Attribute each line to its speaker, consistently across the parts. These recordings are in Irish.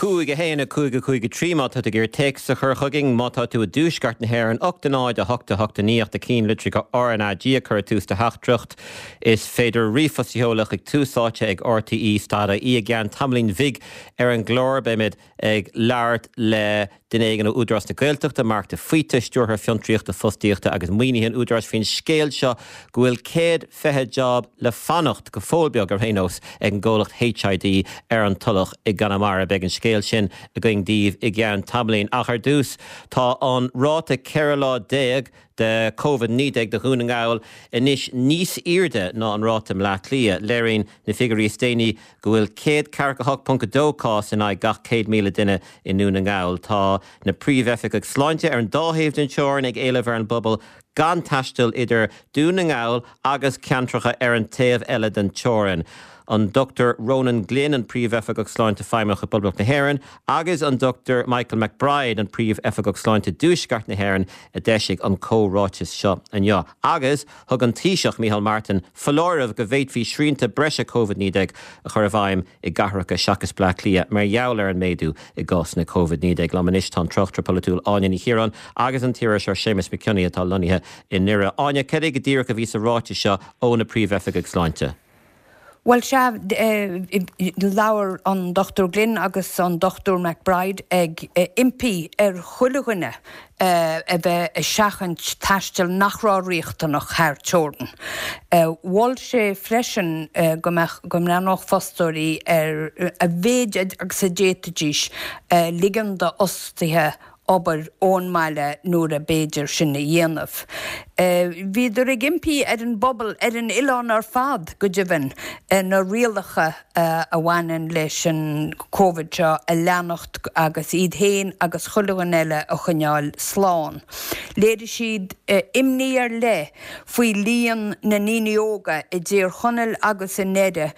Speaker 1: 5, 1, 5, 5, 3 Má tá tú ag iarraidh téacs a chur chugainn, má tá tú i dtuaisceart na hÉireann, 8 0 8 8 9 ach na cinnlitreacha RnaG a chur i dtús do theachtaireacht. Is féidir ríomhphost a sheoladh chuig Tús Áite ag RTÉ stad ie I gceann tamaillín bhig ar an gclár beimid ag labhairt le duine éigin ó Údarás na Gaeltachta, Marc de Faoite, Stiúrthóir Fiontraíochta, Fostaíochta agus Maoinithe an Údaráis faoin scéal seo go bhfuil 120 job le fanacht, go fóill beag ar aon nós, ag an gcomhlacht HID ar an Tulach i gConamara. Beidh an scéal sin againn daoibh i gceann tamaillín. Ach ar dtús, tá an ráta 14 lá de Covid-19 do Dhún na nGall anois níos airde ná an ráta i mBleá Cliath. Léiríonn na figiúirí is déanaí go bhfuil 148.2 cás in aghaidh gach 100,000 duine i nDún na nGall. Tá na príomhoifigigh sláinte ar an dá thaobh den teorainn ag éileamh ar an bpobal gan taisteal idir Dún na nGall agus ceantracha ar an taobh eile den teorainn. An Dr Ronan Glynn, an Príomhoifigeach Sláinte Feidhmeach i bPoblacht na hÉireann, agus an Dr Michael McBride, an Príomhoifigeach Sláinte i dTuaisceart na hÉireann, a d'eisigh an comhráiteas seo inniu. Agus thug an Taoiseach, Micheál Martin, foláireamh go bhféadfaí srianta breise Covid-19 a chur i bhfeidhm i gcathracha seachas Bleá Cliath mar gheall ar an méadú i gcásanna Covid-19. Liom anois tá an tráchtaire polaitiúil Áine Ní Chiaráin agus an t-iriseoir Séamus Mac Cionnaith atá lonnaithe i nDoire. Áine, cad é go díreach a bhí sa ráiteas seo ó na príomhoifigigh sláinte?
Speaker 2: Bhuel, sea, labhair an Dr Glynn agus an Dr McBride ag impí ar chuile dhuine a bheith ag seachaint taistil nach raibh riachtanach thar teorainn. Mhol sé freisin go mbeadh, go mbreathnódh fostóirí ar a mhéid agus a d'fhéadfaidís ligean d'fhostaithe obair ón mbaile nuair ab fhéidir sin a dhéanamh. Bhíodar ag impí ar an bpobal, ar an oileán ar fad go deimhin, na rialacha a bhaineann leis an Covid seo a leanacht agus iad féin agus chuile dhuine eile a choinneáil slán. Léirigh siad imní ar leith faoi líon na ndaoine óga i dTír Chonaill agus i nDoire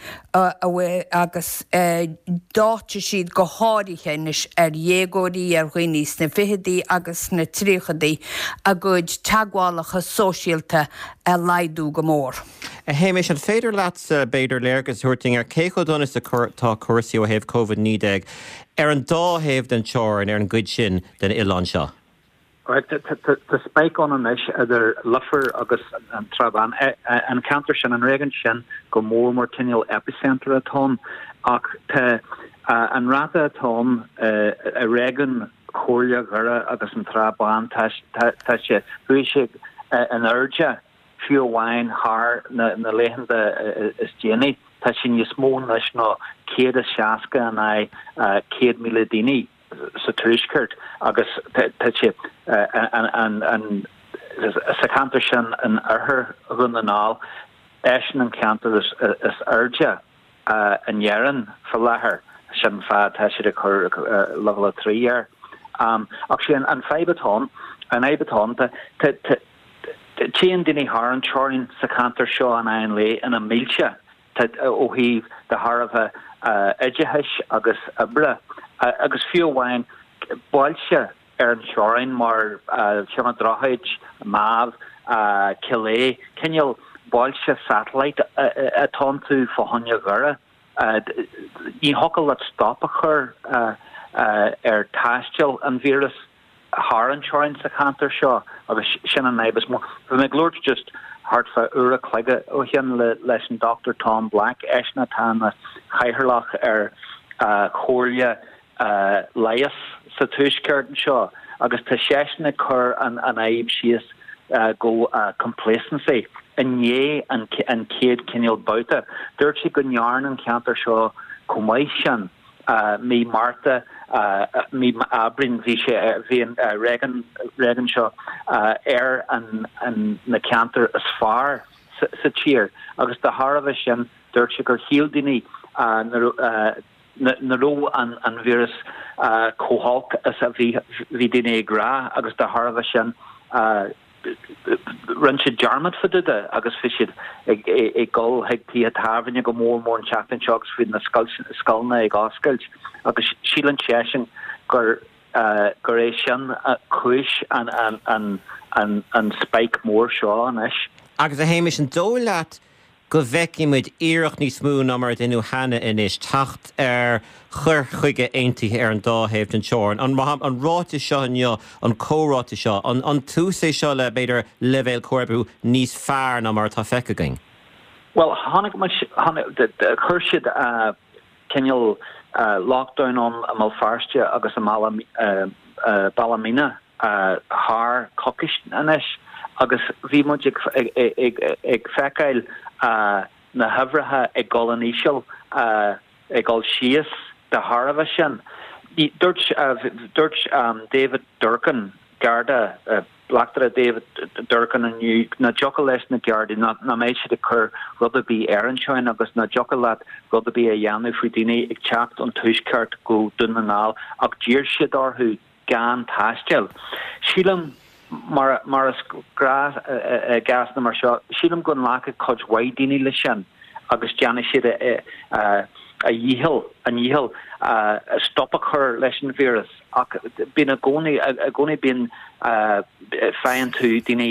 Speaker 2: agus d'áitigh siad go háirithe anois ar dhéagóirí, ar dhaoine sna fichidí agus sna tríochaidí a gcuid teagmhálacha sóisialta a laghdú go mór.
Speaker 1: A Shéamais, an féidir leatsa, b'fhéidir, léargas a thabhairt dúinn ar cé chomh dona is atá cúrsaí ó thaobh Covid-19 ar an dá thaobh den teorainn ar an gcuid sin den oileán seo?
Speaker 3: Tá spike ann anois idir Leifear agus an Trá Bháin. An ceantar sin, an réigiún sin go mór mór cineál epicentre atá ann ach tá an ráta atá ann i réigiún Chomhairle Dhoire agus an Trá Báin, tá sé, chuaigh sé in airde fiú amháin thar na laethanta is déanaí. Tá sé níos mó anois ná 160 in aghaidh 100,000 daoine. sa tuaisceart agus tá sé sa cheantar sin in oirthear Dhún na nGall, eisean an ceantar is airde in Éirinn faoi láthair, sin an fáth atá siad ag cur leibhéal 3 air. Ach sé an fadhb atá ann, an fhadhb atá ann, téann daoine thar an teorainn sa cheantar seo in aghaidh an lae ina mílte. ó thaobh de thairbhe oideachais agus oibre, agus fiú amháin bailte ar an teorainn mar Chionn an Droichid, Mámh, Cill Aodha, cineál bailte satellite atá iontu fá choinne Dhoire. Ní thiocfadh leat stop a chur ar taisteal an víreas. thar an teorainn sa cheantar seo agus sin an fhadhb is mó. Bhí mé ag labhairt just thart fá uair a chloig ó shin leis an Dr Tom Black, eisean atá ina chathaoirleach ar Chomhairle Leighis sa Tuaisceart anseo agus tá seisean ag cur an fhadhb síos go complacency i ndiaidh an chéad cineál babhta. Dúirt sé go ndearna an ceantar seo chomh maith sin. Mí Márta, mí Aibreáin bhí sé, bhí an réigiún seo ar na ceantair is fearr sa tír agus de thairbhe sin dúirt sé gur shíl daoine nach raibh an víreas chomh holc is a bhí daoine ag rá agus de thairbhe sin Rinne siad dearmad fá dtaobh de agus bhí siad ag dul chuig tithe tábhairne go mór mór an tseachtain seo agus bhí na scoileanna ag oscailt agus síleann seisean gur gur é sin cúis an an an an spike mór seo anois.
Speaker 1: Agus a Shéamais, an dóigh leat. go bhfeicfidh muid iarracht níos mó ná mar a deineadh cheana anois teacht ar chur chuige aontaithe ar an dá thaobh den teorainn? An an ráiteas seo inniu, an comhráiteas seo, an tús é seo le, b'fhéidir, leibhéal comhoibriú níos fearr ná mar atá feicthe againn?
Speaker 3: Bhuel, chonaic muid, chuir siad cineál lockdown ann i mBéal Feirste agus i mBealach Míne thar coicís anois agus bhí muid ag feiceáil na huimhreacha ag dul in íseal, ag dul síos de thairbhe sin. Dúirt dúirt David Durkan, Garda, Bleachtaire David Durkan inniu nach dtiocfadh leis na Gardaí nach mbeidh siad ag cur rud ar bith ar an teorainn agus nach dtiocfadh leat rud ar bith a dhéanamh faoi daoine ag teacht ón Tuaisceart go Dún na nGall ach d'iarr siad orthu gan taisteal. Sílim, mar mar is gnách i gcásanna mar seo, sílim go nglacfaidh cuid mhaith daoine leis sin agus déanfaidh siad a dhícheall, a ndícheall stop a chur leis an víreas. Ach bíonn i gcónaí, i gcónaí bíonn, faigheann tú daoine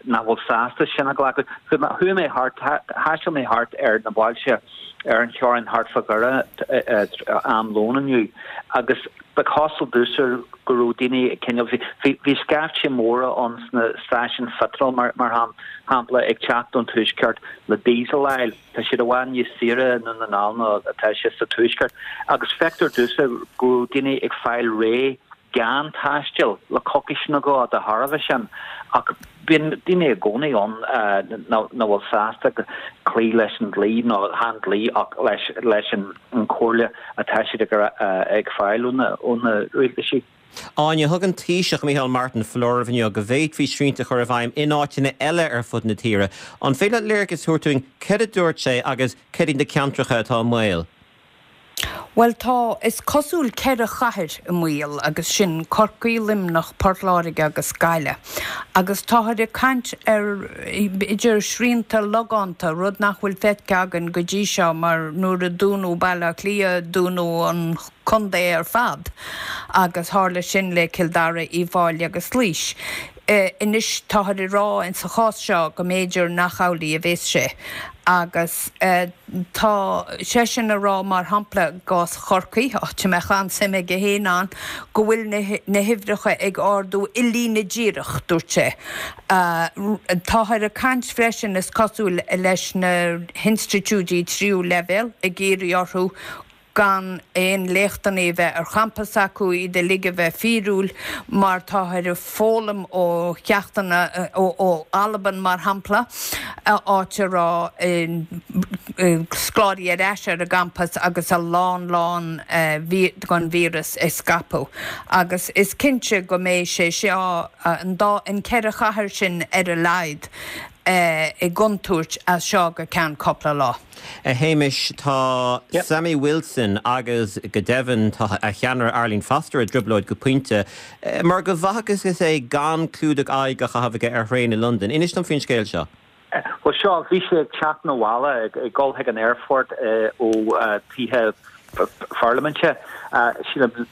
Speaker 3: nach bhfuil sásta sin a ghlacadh. Chuaigh mé thart, thaistil mé thart ar na bailte ar an theorainn thart fá Dhoire am lóin inniu agus ba chosúil domhsa go raibh daoine ag cineál, bhí, bhí scaifte móra ann sna stáisiúin pheitril mar shampla ag teacht ón tuaisceart le diesel a fháil. Tá siad i bhfad níos saoire i nDún na nGall ná atá sé sa Tuaisceart agus feictear domhsa go raibh daoine ag fáil réidh gan taisteal le coicís nó dhó de thairbhe sin ach bíonn daoine i gcónaí ann nach bhfuil sásta cloí leis an dlí nó chan dlí ach leis leis an chomhairle atá siad ag fáil ó na rialtaisí.
Speaker 1: Áine, thug an Taoiseach Micheál Martin foláireamh inniu go bhféadfaí srianta a chur i bhfeidhm in áiteanna eile ar fud na tíre. An féidir leat léargas a thabhairt dúinn céard a dúirt sé agus céard iad na ceantracha atá i mbaol?
Speaker 2: Bhuel tá, is cosúil, 4 chathair i mbaol agus sin Corcaigh, Luimneach, Port Láirge agus Gaillimh. Agus táthar ag caint ar b'fhéidir srianta logánta, rud nach bhfuil feicthe againn go dtí seo mar nuair a dúnadh Baile Átha Cliath dúnadh an contae ar fad agus tharla sin le Cill Dara, Uíbh Fhailí agus Laois. Anois táthar ag rá in sa chás seo go mb'fhéidir nach amhlaidh a bhéas sé agus tá seisean ag rá mar shampla i gcás Chorcaí, áit a mbeadh an-suim aige féin ann, go bhfuil na huimhreacha ag ardú i líne díreach, dúirt sé. Táthar ag caint freisin is cosúil leis na hinstitiúidí tríú leibhéal ag iarraidh orthu gan aon léachtanna a bheith ar champas acu, iad uilig a bheith fíorúil, mar táthar ag foghlaim ó cheachtanna ó Albain, mar shampla, áit a raibh scoláirí ar ais ar an gcampas agus a lán lán den víreas ag scaipeadh. Agus is cinnte go mbeidh sé seo, an dá, an ceithre chathair sin ar a laghad, i gcontúirt as seo go ceann cúpla lá.
Speaker 1: A Shéamais, tá Sammy Wilson agus go deimhin tá a cheannaire Arlene Foster i dtrioblóid go pointe mar go bhfacthas é gan clúdach aghaidh á chaitheamh aige ar thraein i Londain. Inis dom faoin scéal seo.
Speaker 3: Bhuel seo, bhí sé ag teacht 'na bhaile, ag dul chuig an aerfort ó tithe pharlaiminte, sílim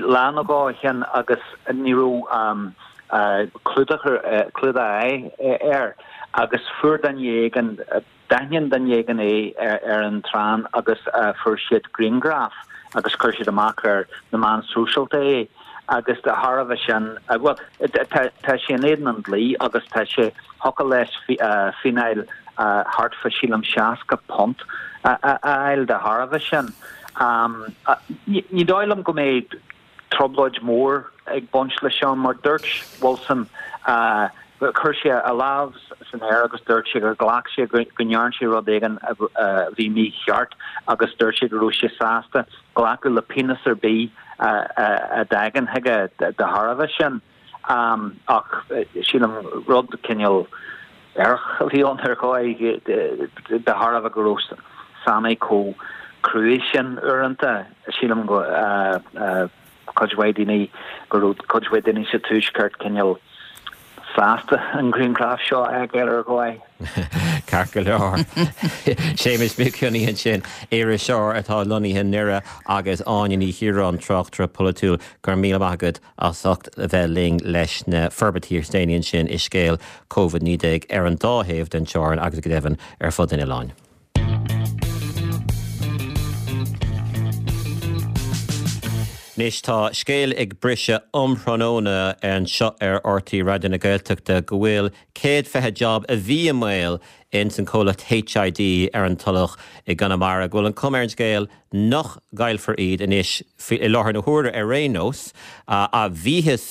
Speaker 3: lá nó dhó ó shin agus ní raibh clúdach clúdach aghaidhe air agus fuair duine éigin, D'aithin duine éigin é ar an traein agus fuair siad grianghraf agus chuir siad amach ar na meáin sóisialta é agus de thairbhe sin, bhuel, tá sé in éadan an dlí agus tá sé, thiocfadh leis fíneáil thart fá sílim £60 a fháil de thairbhe sin. Ní dóigh liom go mbeidh trioblóid mhór ag baint leis seo mar dúirt Wilson, chuir sé a lámh san aer agus dúirt sé gur ghlac sé go ndearna sé rud éigin a bhí mícheart agus dúirt sé go raibh sé sásta glacadh le pionós ar bith a dtagann chuige de thairbhe sin. Ach sílim rud cineál aerach a bhí ann ar dhóigh de thairbhe go raibh Sammy chomh cruaidh sin uaireanta. Sílim go cuid mhaith daoine go raibh cuid mhaith daoine sa tuaisceart cineál. sásta an grianghraf seo a fheiceáil ar dhóigh.
Speaker 1: Ceart go leor. Séamus Mac Cionnaith ansin, iriseoir atá lonnaithe i nDoire agus Áine Ní Chiaráin, tráchtaire polaitiúil. Go raibh míle maith agat as ucht a bheith linn leis na forbairtí is déanaí ansin i scéal Covid-19 ar an dá thaobh den teorainn agus go deimhin ar fud an oileáin. Anois tá scéal ag briseadh um thráthnóna anseo ar RTÉ Raidió na Gaeltachta go bhfuil 120 job a bhí i mbaol ins an comhlacht HID ar an Tulach i gConamara, go bhfuil an cuma ar an scéal nach gcaillfear iad anois, i láthair na huaire ar aon nós. Bhíothas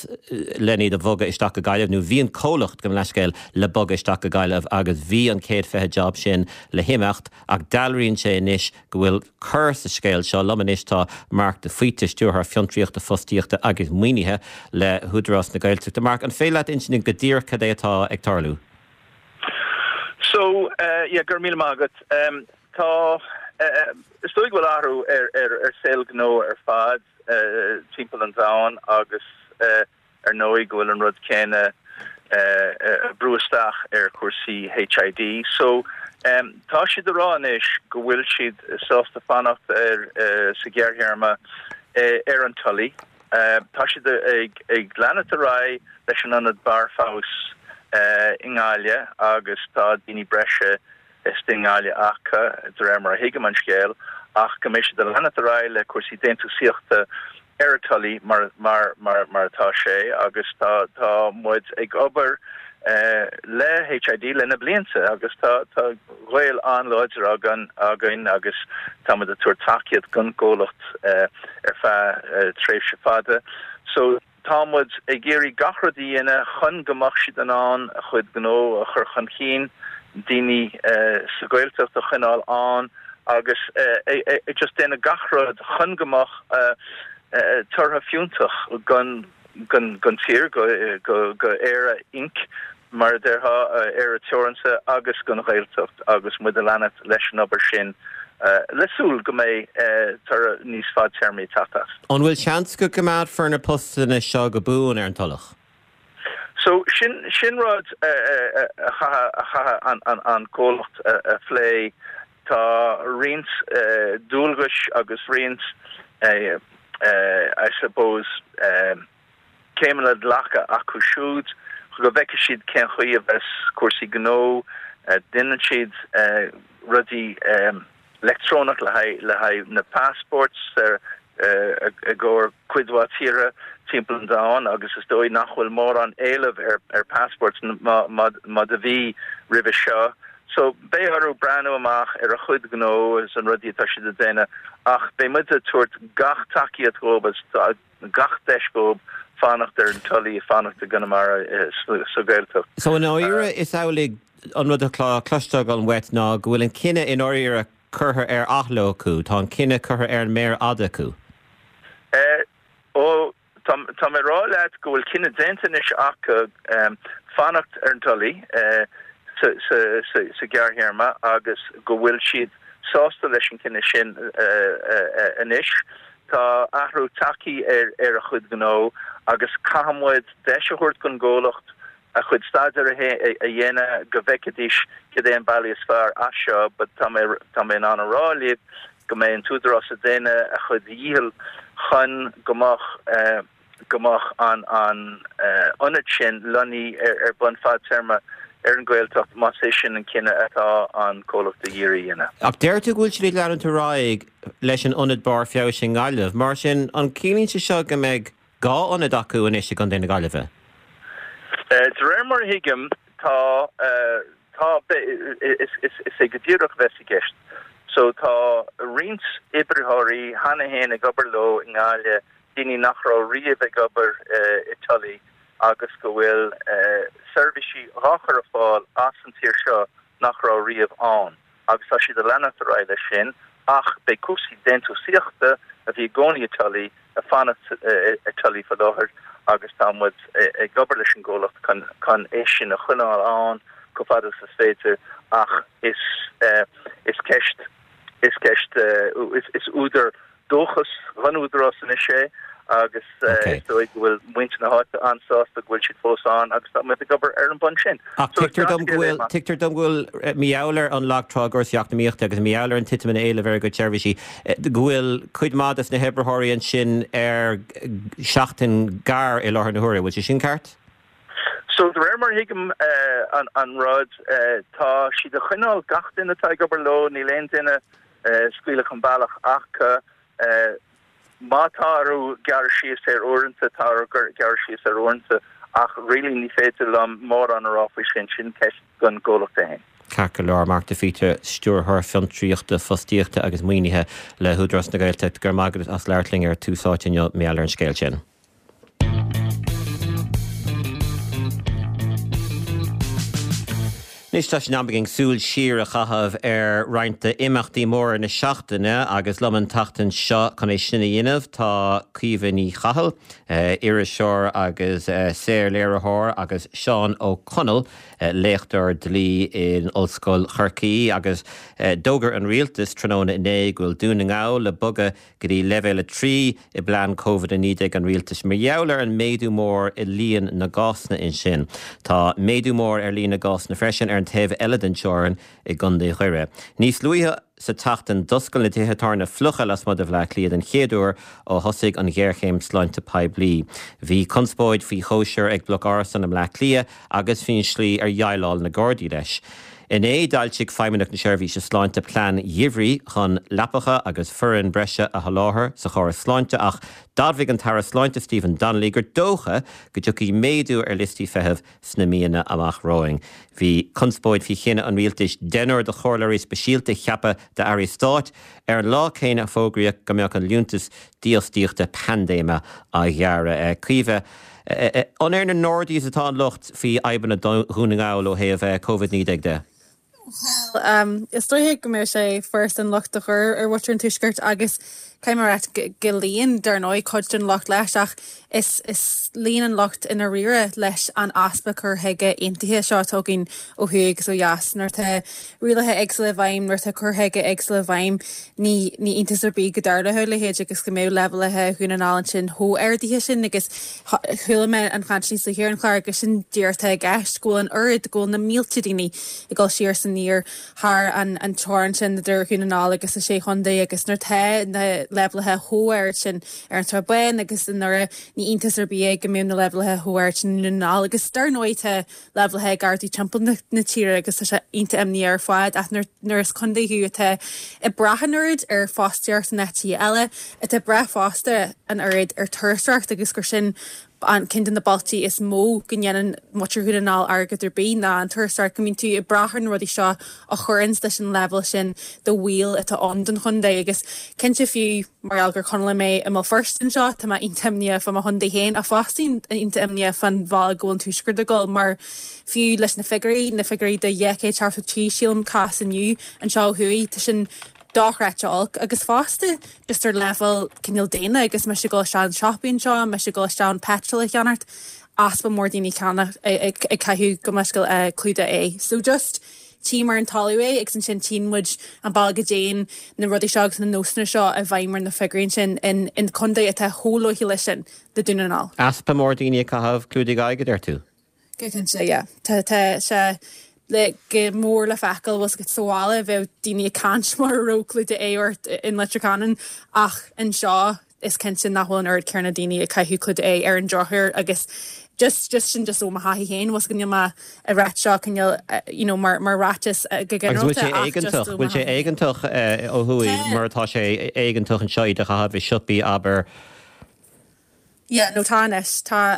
Speaker 1: len iad a bhogadh isteach go Gaillimh, nó bhí an comhlacht, gabh mo leithscéal, le bogadh isteach go Gaillimh agus bhí an 120 job sin le himeacht ach dealraíonn sé anois go bhfuil cor sa scéal seo. Liom anois tá Marc de Faoite, Stiúrthóir Fiontraíochta, Fostaíochta agus Maoinithe le hÚdarás na Gaeltachta. Marc, an féidir leat insint dúinn go díreach cad é atá ag tarlú?
Speaker 4: So, yeah, go raibh míle maith agat. Tá, is dóigh go bhfuil athrú ar saol gnó ar fad timpeall an domhain agus ar ndóigh go bhfuil an rud céanna ag brú isteach ar chúrsaí HID. So, tá siad ag rá anois go bhfuil siad sásta fanacht ar sa ghearrthéarma ar an Tulaigh. Tá siad ag leanacht ar aghaidh leis an ionad barr feabhais i nGaillimh agus tá daoine breise istigh i nGaillimh acu, de réir mar a thuigim an scéal, ach go mbeidh siad ag leanacht ar aghaidh le cúrsaí déantúsaíochta ar an Tulaigh mar mar mar mar atá sé agus tá tá muid ag obair le HID le na blianta agus tá tá gaol an-láidir againn againn agus tá muid ag tabhairt tacaíocht don gcomhlacht ar feadh tréimhse fada. So Tá muid ag iarraidh gach rud a dhéanamh chun go mbeadh siad in ann a chuid gnó a chur chun cinn, daoine sa Ghaeltacht a choinneáil ann agus just déanamh gach rud chun go mbeadh tortha fiúntach don tír, go Éire Inc. Mar a déarfá, Éire Teoranta agus don Ghaeltacht agus muid ag leanacht leis an obair sin le súil go mbeidh toradh níos fadtéarmaí ag teacht as.
Speaker 1: An bhfuil seans go gcoimeádfar na postanna seo go buan ar an Tulach?
Speaker 4: So, sin, sin rud a chaithfidh, a chaithfidh an comhlacht a phlé. Tá roinnt dualgais agus roinnt, I suppose, céimeanna glactha acu siúd go bhfeicfidh siad cén chaoi a bheas cúrsaí gnó, déanann siad rudaí leictreonach le haghaidh le haghaidh na passports i gcomhair cuid mhaith tíortha timpeall an domhain agus is dóigh nach bhfuil mórán éileamh ar ar passports mar a bhí roimhe seo. So beidh orthu breathnú amach ar a chuid gnó agus an rudaí atá siad ag déanamh ach beidh muid ag tabhairt gach tacaíocht dhóibh agus gach deis dhóibh fanacht ar an Tulaigh, fanacht i gConamara sa Ghaeltacht.
Speaker 1: So i ndáiríre is amhlaidh an rud atá cloiste agam uait ná go bhfuil an cinneadh i ndáiríre curtha ar athló acu, tá an cinneadh curtha ar an méar fhada acu.
Speaker 4: Ó, tá, tá mé ag rá leat go bhfuil cinneadh déanta anois acu fanacht ar an Tulaigh sa, sa, sa, sa ghearrthéarma agus go bhfuil siad sásta leis an cinneadh sin anois. Tá athrú tagtha ar a chuid gnó agus caithfidh muid deis a thabhairt don gcomhlacht a chuid staidéir a dhéanamh go bhfeicfidís cad é an bealaí is fearr as seo but tá mé tá mé in ann a rá libh go mbeidh an t-údarás ag déanamh a chuid dhícheall chun go mbeadh go mbeadh an ionad sin lonnaithe ar bun fadtéarma ar an Ghaeltacht más é sin an cinneadh atá an comhlacht ag iarraidh a dhéanamh.
Speaker 1: Ach deir tú go bhfuil siad ag leanúint ar aghaidh leis an ionad barr feabhais i nGaillimh. Mar sin, an ciallaíonn sé seo go mbeidh 2 ionad acu anois i gContae na Gaillimhe?
Speaker 4: De réir mar a thuigim, tá, tá, is é go díreach a bheas i gceist. So tá roinnt oibritheoirí cheana féin ag obair leo i nGaillimh daoine nach raibh riamh ag obair i Tully agus go bhfuil seirbhísí dhá chur ar fáil as an tír seo nach raibh riamh ann agus tá siad ag leanacht ar aghaidh leis sin ach beidh cúrsaí déantúsaíochta a bhí i gcónaí i Tully ag fanacht i Tully faoi láthair agus tá muid ag obair leis an gcomhlacht chun chun é sin a choinneáil ann chomh fada is is féidir ach is is ceist is ceist is údar dóchas don Údarás anois é. Agus is dóigh go bhfuil muintir na háite an-sásta go bhfuil siad fós ann agus tá muid ag obair ar an mbonn sin.
Speaker 1: Ach tuigtear dom go bhfuil, tuigtear dom go bhfuil, mar gheall ar an lag trá i gcúrsaí eacnamaíochta agus mar gheall ar an titim in éileamh ar a gcuid seirbhísí, go bhfuil cuid mhaith des na hoibritheoirí ansin ar seachtain gearr i láthair na huaire. Bhfuil sé sin ceart?
Speaker 4: So, de réir mar a thuigim an rud, tá siad ag coinneáil gach duine atá ag obair leo, níl aon duine scaoileadh chun bealach acu. Má tá orthu gearradh síos ar uaireanta, tá orthu gearradh síos ar uaireanta, ach really ní féidir liom mórán a rá faoi sin, sin ceist don gcomhlacht é féin.
Speaker 1: Ceart go leor, Mark de Faoite, Stiúrthóir Fiontraíochta, Fostaíochta agus Maoinithe le hÚdarás na Gaeltachta, go raibh maith agat as labhairt linn ar Tús Áite inniu, mar gheall ar an scéal sin. Anois tá sé in am againn súil siar a chaitheamh ar roinnt d'imeachtaí móra na seachtaine agus liom an tseachtain seo chun é sin a dhéanamh tá Caoimhe Ní Chathail, iriseoir agus saorléiritheoir agus Seán Ó Conaill, léachtóir dlí in Ollscoil Chorcaí agus d'fhógair an Rialtas tráthnóna inné go bhfuil Dún na nGall le bogadh go dtí Leibhéal 3 i bplean Covid-19 an rialtais mar gheall ar an méadú mór i líon na gcásanna ansin. Tá méadú mór ar líon na gcásanna freisin ar an taobh eile den teorainn i gContae Dhoire. Níos luaithe sa tseachtain d'oscail na tithe tábhairne fliucha lasmuigh de Bhaile Átha Cliath den chéad uair ó thosaigh an ghéarchéim sláinte poiblí. Bhí conspóid faoi chóisir ag bloc árasán i mBleá Cliath agus faoin slí ar dhéileáil na Gardaí leis. Inné, d'fhoilsigh Feidhmeannacht na Seirbhíse Sláinte plean geimhridh chun leapacha agus foireann breise a sholáthar sa chóras sláinte ach d'admhaigh an tAire Sláinte Stephen Donnelly gur dócha go dtiocfaidh méadú ar liostaí feithimh sna míonna amach romhainn. Bhí conspóid faoi chinneadh an rialtais deichniúr de chomhairleoirí speisialta a cheapadh d'airí stáit ar an lá céanna a fógraíodh go mbeadh an liúntas dífhostaíochta paindéime á ghearradh. Caoimhe, An ar na Nordies atá an locht faoi fhadhbanna Dhún na nGall ó thaobh Covid-19 de?
Speaker 5: Bhuel, is dóiche go mbeadh sé furasta an locht a chur ar mhuintir an Tuaiscirt agus caithfidh mé a rá go luíonn, dar ndóigh, cuid den locht leis ach is is luíonn an locht i ndáiríre leis an easpa cur chuige aontaithe seo atá againn ó thuaidh agus ó dheas. Nuair atá rialacha éagsúla i bhfeidhm, nuair atá cur chuige éagsúla i bhfeidhm, ní ní iontas ar bith go dtarlódh a leithéid agus go mbeadh leibhéalacha Dhún na nGall ansin chomh ardaithe sin agus chuala mé an chaint níos luaithe ar an chlár agus sin díreach atá i gceist, go bhfuil an oiread, go bhfuil na mílte daoine ag dul siar is aniar thar an an teorainn sin idir Dhún na nGall agus na Sé Chontae agus nuair atá na leibhéalacha chomh ard sin ar an Srath Bán agus i nDoire, ní iontas ar bith é go mbeadh na leibhéalacha chomh ard sin i nDún na nGall agus dar ndóigh tá leibhéalacha ag ardú timpeall na tíre agus tá sé iontach imníoch ar fad ach nuair is contae thú atá ag brath an oiread ar fostaíocht in áiteacha eile, atá ag brath fosta an oiread ar turasóireacht agus gur sin an ceann de na bealtaí is mó go ndéanann muintir Dhún na nGall airgead ar bith ná an turasóireacht, go mbíonn tú ag brath ar na rudaí seo a chuireanns leis an leibhéal sin de bhaol atá ann don chontae agus cinnte fiú Mar gheall gur Conallach mé i mBéal Feirste anseo, tá mé iontach imníoch fá mo chontae féin ach fosta iontach imníoch fán bhealach go bhfuil an Tuaisceart ag dul mar fiú leis na figiúirí, na figiúirí de 273 sílim cás inniu anseo ó thuaidh, tá sin dochreidte olc agus fosta just ar leibhéal cineál daonna agus mise ag dul isteach an siopaí anseo, mise ag dul isteach an petrol a cheannacht, easpa mór daoine ceannach ag caitheamh gabh mo leithscéal clúdach aghaidhe. So just. Tchím ar an talamh é agus ansin tchíonn muid an bealach go dtéann na rudaí seo agus na nósanna seo i bhfeidhm ar na figiúirí ansin in in contae atá chomh luaithe leis sin le Dún na nGall.
Speaker 1: Easpa mór daoine ag caitheamh clúdaigh aghaidhe, a deir tú?
Speaker 5: Go cinnte, yeah. Tá tá sé le go mór le feiceáil, bhfuil 's agat sa bhaile bheadh daoine ag caint mura raibh clúdach aghaidhe ort in Leitir Ceanainn ach anseo is cinnte nach bhfuil an oiread céanna daoine ag caitheamh clúdach aghaidhe ar an drochuair agus just just sin just ó mo thaithí féin bhfuil 's agat níl mé ag ráit seo cineál you know mar mar ráiteas go
Speaker 1: Agus bhfuil sé
Speaker 5: ginearálta ach just
Speaker 1: éigeantach,
Speaker 5: ó mo
Speaker 1: bhfuil sé
Speaker 5: thaithí féin.
Speaker 1: éigeantach ó thuaidh
Speaker 5: Tá.
Speaker 1: mar atá sé éigeantach anseo iad a chaitheamh i siopaí abair?
Speaker 5: Yeah, no tá anois, tá,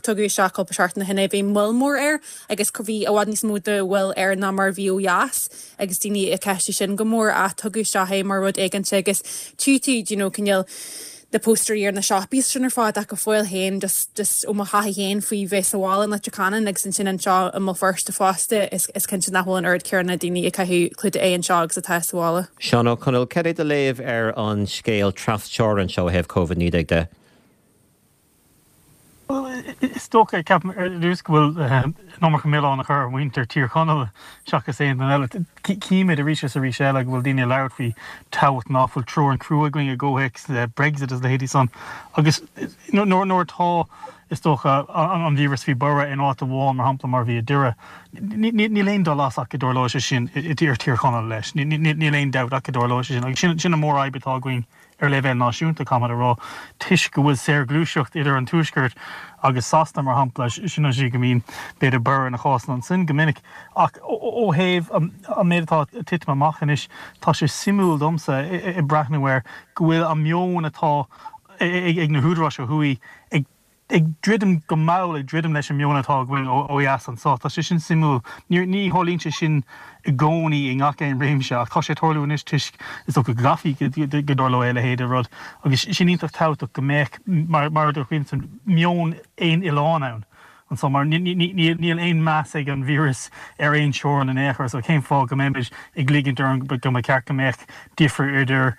Speaker 5: tugadh isteach cúpla seachtain ó shin é, bhí moill mór air agus bhí i bhfad níos mó de mhoill air ná mar a bhí ó dheas agus daoine ag ceistiú sin go mór ach tugadh isteach é mar rud éigeanta agus tchí tú, do you know, cineál na póstaerí ar na siopaí is sin ar fad ach go fóill féin just, just ó mo thaithí féin faoi bheith sa bhaile in Leitir Ceanainn agus ansin anseo i mBéal Feirste fosta is, is cinnte nach bhfuil an oiread céanna daoine ag caitheamh clúdach aghaidhe anseo agus atá sa bhaile.
Speaker 1: Seán Ó Conaill, cad é do léamh ar an scéal tras-teorann seo ó thaobh Covid-19 de?
Speaker 6: Bhuel, Is dócha, ceapaim ar dtús go bhfuil an iomarca milleáin á chur ar mhuintir Thír Chonaill seachas aon duine eile. Címid arís is arís eile go bhfuil daoine ag labhairt faoi tábhacht nach bhfuil teorainn crua againn i gcomhthéacs Brexit agus leithéidí san agus nuair atá, is dócha, an víreas faoi borradh in áit amháin, mar shampla mar a bhí i Doire, níl aon dul as ach go dtarlóidh sé sin i dTír Chonaill leis. Níl aon dabht ach go dtarlóidh sé sin agus sin an mhórfhadhb atá againn. Ar leibhéal náisiúnta, caithfimid a rá, toisc go bhfuil saorghluaiseacht idir an Tuaisceart agus Sasana, mar shampla, sin an tslí go mbíonn, b'fhéidir, borradh ar na cásanna ansin go minic. Ach ó thaobh an méid atá ag titim amach anois, tá sé suimiúil domsa, ag breathnú air, go bhfuil an meon atá ag na húdaráis ó thuaidh ag ag druidim go mall, ag druidim leis an meon atá againn ó dheas anso. Tá sé sin suimiúil. Ní tharlaíonn sé sin i gcónaí i ngach aon réimse ach tá sé ag tarlú anois toisc is dócha go gcaithfí go dtarlódh a leithéid de rud agus sin iontach tábhachtach go mbeadh, mar a dúirt Caoimhe, meon aon oileáin ann anso mar níl aon meas ag an víreas ar aon teorainn in aon chor so cén fáth go mbeimid ag ligint orainn go mba cheart go mbeadh difear idir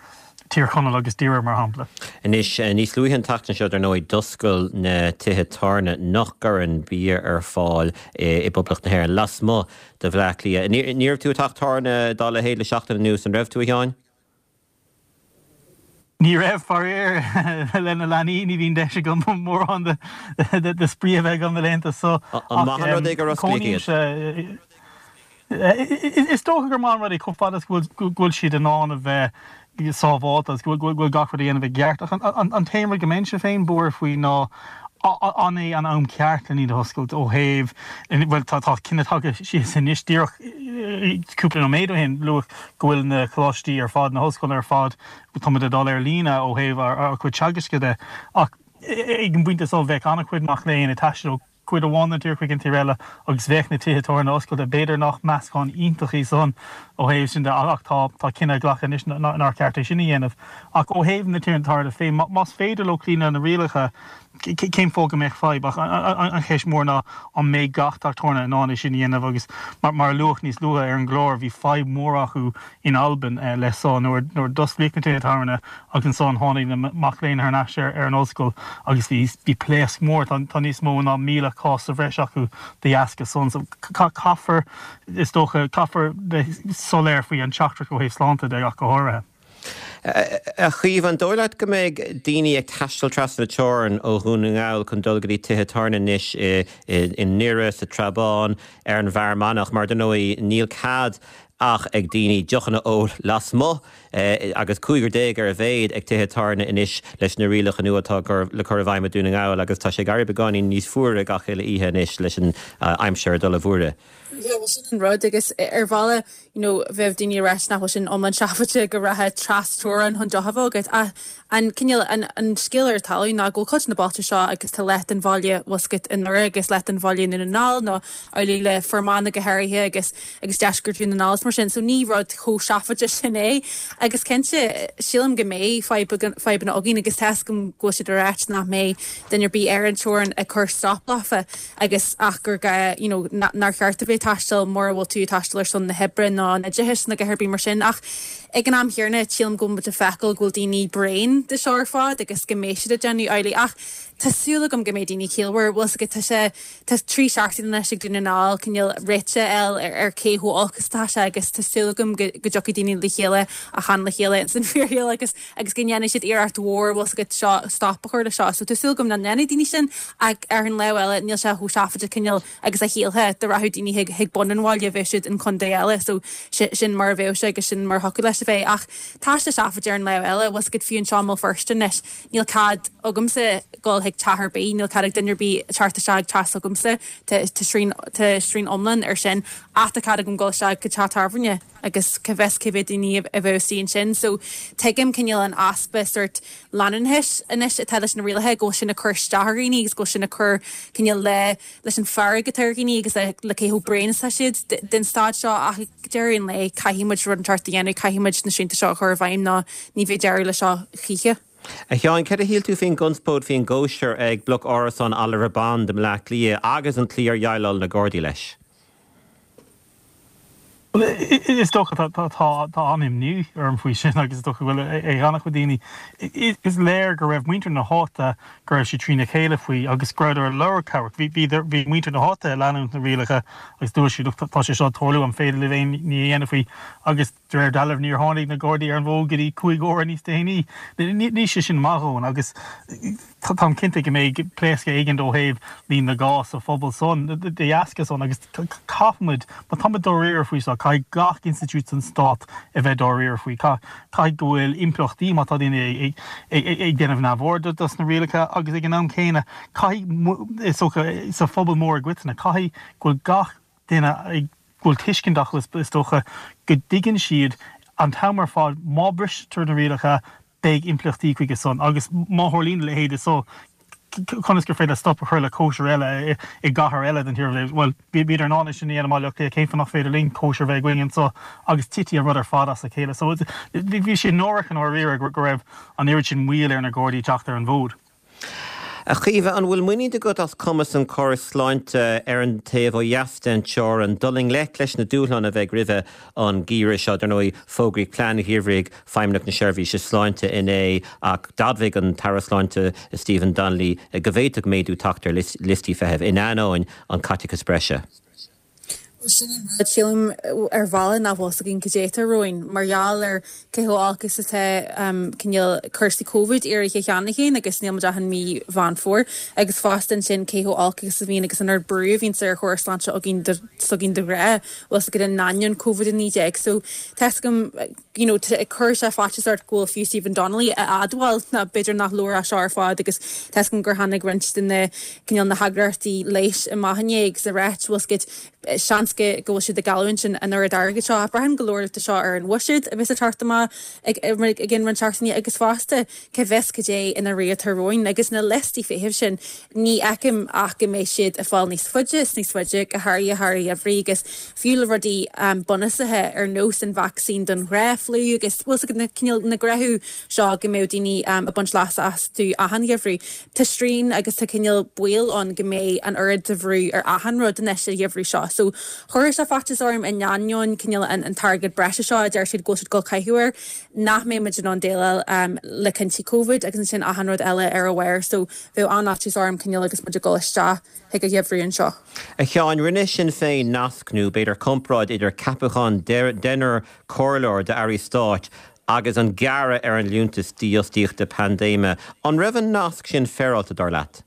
Speaker 6: Tír Chonaill agus Doire, mar shampla.
Speaker 1: Anois, níos luaithe an tseachtain seo, dar ndóigh, d'oscail na tithe tábhairne nach gcuireann bia ar fáil i bPoblacht na hÉireann, lasmuigh de Bhleá Cliath. Ní raibh tú i dteach tábhairne dá leithéid le seachtain anuas, an raibh tú, a Sheáin?
Speaker 6: Ní raibh, faraor. Le na leanaí, ní bhíonn deis agam mórán de spraoi a bheith agam na laethanta
Speaker 1: so. An maith an rud é gur osclaíodh
Speaker 6: iad? Is dócha gur maith an rud é chomh fada is go bhfuil siad in ann a bheith sábháilte agus go bhfuil gach rud á dhéanamh i gceart. Ach an t-aon rud go mbeinnse féin buartha faoi ná an é an am ceart len iad a oscailt ó thaobh, bhuel tá cinneadh tagtha síos anois díreach cúpla nóiméad ó shin, luadh go bhfuil na coláistí ar fad, na hollscoileanna ar fad, táimid ag dul ar líne ó thaobh ár gcuid teagaisc de. Ach ag an bpointe so bheadh an-chuid mac léinn ag taisteal ó cuid amháin den tír chuig an tír eile agus bheadh na tithe tábhairne oscailte. B'fhéidir nach meascán iontach í san ó thaobh sin de ach tá tá cinneadh glactha anois nár cheart é sin a dhéanamh. Ach ó thaobh na tithe tábhairne féin, más féidir leo cloí le na rialacha, cén fáth go mbeadh fadhb? Ach an cheist mhór ná an mbeidh gach teach tábhairne in ann é sin a dhéanamh agus mar a luadh níos luaithe ar an gclár bhí fadhb mhór acu in Albain leis so nuair a d'osclaíodh na tithe tábhairne agus ansan tháinig na mac léinn thar n-ais ar an ollscoil agus bhí bhí pléasc mór, tá tá níos mó ná 1,000 cás sa bhreis acu de dheasca san. So caithfear, is dócha, caithfear bheith soiléir faoi an teachtaireacht ó thaobh sláinte de ach go háirithe.
Speaker 1: A Chaoimhe, an dóigh leat go mbeidh daoine ag taisteal trasna na teorann ó Dhún na nGall chun dul go dtí tithe tábhairne anois i nDoire, sa Trabán, ar an bhFear Manach, mar dar ndóigh níl cead ach ag daoine deochanna a ól lasmuigh agus cúigear ar a mhéad ag tithe tábhairne anois leis na rialacha nua atá le cur i bhfeidhm i Dún na nGall agus tá sé ag éirí beagáinín níos fuaire gach uile oíche anois leis an aimsir ag dul i bhfuaire.
Speaker 5: Yeah, well sin an rud agus ar bhealach you know bheadh daoine ag ráit nach bhfuil sin iomlán seafóideach go rachfá trasteorann chun deoch a bheith agat ach an cineál an an scéal ar talamh ná go bhfuil cuid de na bailte seo agus tá leath den bhaile bhfuil 's agat i nDoire agus leath den bhaile i nDún na nGall nó amhlaidh le Fear Manach go háirithe agus agus deisceart Dhún na nGall is mar sin so ní rud chomh seafóideach sin é agus cinnte sílim go mbeidh fadhbanna againn agus tá 'fhios agam go bhfuil siad ag ráit nach mbeidh duine ar bith ar an teorainn ag cur stop leofa agus ach gur gá you know nár cheart a bheith ag taisteal mura bhfuil tú ag taisteal ar son na hoibre nó an oideachais nó a dhath ar bith mar sin ach ag an am chéanna sílim go bhfuil muid ag feiceáil go bhfuil daoine bréan de seo ar fad agus go mbeidh siad ag déanamh amhlaidh ach tá súil agam go mbeidh daoine ciallmhar bhfuil 's agat tá sé Tá 3 seachtaine anois ag Dún na nGall cineál réiteach a fháil ar cé chomh olc is atá sé agus tá súil agam go dtiocfaidh daoine le chéile ach chan le chéile ins an fíorshaol agus agus go ndéanfaidh siad iarracht mhór bhfuil 's agat seo stop a chur le seo. So tá súil agam nach ndéanfaidh daoine sin ach ar an lámh eile níl sé chomh seafóideach cineál agus a shílfeá dá rachadh daoine chuig chuig bun an bhaile bheadh siad in contae eile so sin mar a bheadh sé agus sin mar a thiocfadh leis a bheith ach tá sé seafóideach ar an lámh eile bhfuil 's agat fiú anseo i mBéal Feirste anois Níl cead agamsa dul chuig teach ar bith, níl cead ag duine ar bith teacht isteach ag teach s'agamsa, tá srian, tá srian iomlán air sin, ach tá cead agam dul isteach go teach tábhairne agus cá bhfios cé mhéad daoine a bheadh istigh ansin. So tuigim cineál an easpa sórt leanúnachais anois atá leis na rialacha, go bhfuil sin ag cur isteach ar dhaoine agus go bhfuil sin ag cur cineál le, leis an bhfearg atá ar dhaoine agus le cé chomh bréan is atá siad den staid seo ach ag deireadh an lae caithfidh muid rud inteacht a dhéanamh, caithfidh muid na srianta seo a chur i bhfeidhm nó ní bheidh deireadh le seo choíche.
Speaker 1: A Sheáin, céard a shíl tú faoin gconspóid faoin gcóisir ag bloc árasán Oliver Bond i mBleá Cliath agus an tslí ar dhéileáil na Gardaí leis?
Speaker 6: Bhuel, is dócha, tá an-imní orm faoi sin agus is dócha go bhfuil ag an-chuid daoine. Is léir go raibh muintir na háite, go raibh siad trína chéile faoi agus go rabhadar ag lorg cabhrach. Bhí muintir na háite ag leanúint na rialacha agus dúirt siad, look, tá sé seo ag tarlú, an féidir libh aon ní a dhéanamh faoi? Agus de réir dealraimh níor tháinig na Gardaí ar an bhfód go dtí 5 uaire níos déanaí. Níl sé sin maith a dhóthain agus. Táim cinnte go mbeidh pléascadh éigin ó thaobh líon na gcás sa phobal san de dheasca san agus caithfimid, má táimid dáiríre faoi seo, caithfidh gach institiúid san stát a bheith dáiríre faoi. Caithfidh go bhfuil impleachtaí má tá daoine ag déanamh neamhaird dos na rialacha agus ag an am céanna caithfidh, is dócha, sa phobal mór i gcoitinne, caithfidh go bhfuil gach duine ag, go bhfuil tuiscint acu is dócha, go dtuigeann siad an t-am ar fad má bristear na rialacha beidh impleachtaí chuige san agus má tharlaíonn a leithéid de so, conas gur féidir stop a chur le cóisir eile i gcathair eile den tír? Bhuel, bhíodar in ann é sin a dhéanamh i mBaile Átha Cliath, cén fáth nach féidir linn cóisir a bheith againn anso agus titfidh an rud ar fad as a chéile. So, bhí sé náireach i ndáiríre go raibh an oiread sin moill ar na Gardaí teacht ar an bhfód.
Speaker 1: A Chaoimhe, an bhfuil muinín agat as cumas an chórais sláinte ar an taobh ó dheas den teorainn dul i ngleic leis na dúshláin a bheidh roimhe an geimhreadh seo? Dar ndóigh, fógraíodh plean gheimhridh Feidhmeannacht na Seirbhíse Sláinte inné ach d'admhaigh an tAire Sláinte Stephen Donnelly go bhféadfadh méadú teacht ar liostaí feithimh in ainneoin an chaiteachais breise.
Speaker 5: Bhuel, sin an rud, sílim, ar bhealach nach bhfuil 's againn cad é atá romhainn mar gheall ar cé chomh olc is atá cineál cúrsaí Covid éirithe cheana féin agus níl muid ach in mí Mheán Fómhair agus fosta ansin cé chomh olc agus a bhíonn agus an oiread brú a bhíonns ar chóras sláinte againn s'againn de ghnáth, bhfuil 's agat in ainneoin Covid-19. So, tá 's agam, you know, cuireann sé faitíos ort go bhfuil fiú Stephen Donnelly ag admháil ná b'fhéidir nach leor é seo ar fad agus tá 's agam gur tháinig roinnt de na cineál na heagraíochtaí leighis amach inné agus ag ráit bhfuil 's agat seans go go bhfuil siad ag cailliúint an an oiread airgid seo ach braitheann go leor de seo ar an bhuiséad a bheas ag teacht amach ag ag ag an roinnt seachtainí agus fosta Cá bhfios cad é i ndáiríre atá romhainn agus na liostaí feithimh sin, ní fheicim ach go mbeidh siad ag fáil níos faide is níos faide, go háirithe thar an gheimhreadh agus fiú le rudaí bunúsacha ar nós an vacsaín don ghnáth-fhliú agus bhfuil 's agat na cineál na gnáthaimh seo go mbeadh daoine ag baint leasa astu achan gheimhreadh. Tá strain agus tá cineál baol ann go mbeidh an oiread de bhrú ar achan rud anois an gheimhreadh seo. So chuirfeadh sé faitíos orm in ainneoin cineál an t-airgead breise seo a deir siad go bhfuil siad ag dul caitheamh air. nach mbeidh muid in ann déileáil le cinntí Covid agus ansin achan rud eile ar a bharr so bheadh an-fhaitíos orm cineál agus muid ag dul isteach chuig an gheimhreadh anseo.
Speaker 1: A Sheáin, rinne Sinn Féin nasc nó b'fhéidir comparáid idir ceapachán deichniúr comhairleoir d'airí stáit agus an gearradh ar an liúntas dífhostaíochta paindéime. An raibh an nasc sin féaráilte, dar leat?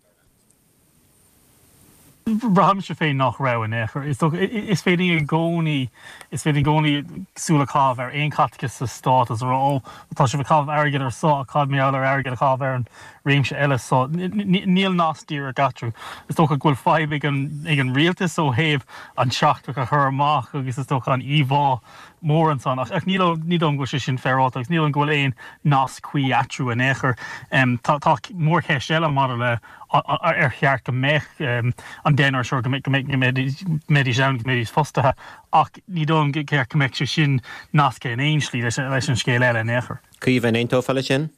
Speaker 6: Braithimse féin nach raibh in aon chor. Is dócha, is féidir i gcónaí, is féidir i gcónaí súil a chaitheamh ar aon chaiteachas sa stát agus a rá, ó, tá sibh ag caitheamh airgid ar so ach cad mar gheall ar airgead a chaitheamh ar an réimse eile so. Níl nasc díreach eatarthu. Is dócha go bhfuil fadhb ag an, ag an rialtas ó thaobh an teachtaireacht a chur amach agus is dócha an íomhá mór ansan ach ní dóigh liom go bhfuil sé sin féaráilte agus ní dóigh liom go bhfuil aon nasc cuí eatarthu in aon chor. Tá, tá mórcheist eile maidir le ar cheart go mbeadh an deichniúr seo, go mbeidís ann, go mbeidís fostaithe, ach ní dóigh liom go ceart go mbeadh sé sin nasctha in aon slí leis an scéal eile in aon chor.
Speaker 1: Caoimhe, an aontófá leis sin?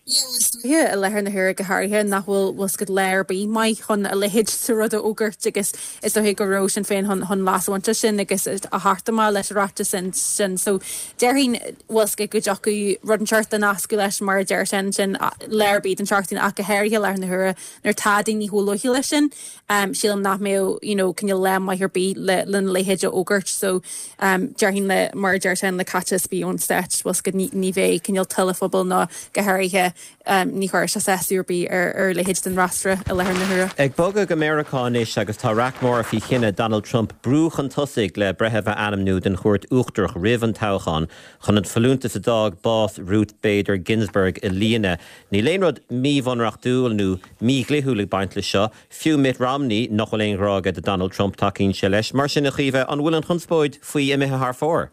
Speaker 5: Yeah, bhuel, is dóiche, i láthair na huaire go háirithe, nach bhfuil bhfuil 's agat lá ar bith maith chun a leithéid de rud a fhógairt agus is dóiche go raibh Sinn Féin chun chun leas a bhaint as sin agus a theacht amach leis an ráiteas sin. So, déarfainn, bhfuil 's agat go dtiocfadh rud inteacht a nascadh leis mar a deir Seán ansin, lá ar bith den tseachtain ach go háirithe i láthair na huaire nuair atá daoine chomh loighciúil leis sin, sílim nach mbeadh you know cineál lá maith ar bith le lena leithéid a fhógairt so déarfainn le mar a deir Seán le caiteachas ar bith ón stát bhfuil 's agat ní ní bheidh cineál toil an phobail ná go háirithe Ní chuirfeadh sé sásamh ar bith ar a leithéid den fhreasúra i láthair na huaire.
Speaker 1: Ag bogadh go Meiriceá anois agus tá raic mór faoi chinneadh Donald Trump brú chun tosaigh le breitheamh a ainmniú don Chúirt Uachtarach roimh an toghchán chun an folúntas a d'fhág bás Ruth Bader Ginsburg a líonadh. Níl aon rud míbhunreachtúil nó mídhlíthiúil ag baint leis seo. Fiú Mitt Romney, nach bhfuil aon ghrá aige do Donald Trump, tacaíonn sé leis. Mar sin, a Chaoimhe, an bhfuil an chonspóid faoi imithe thar fóir?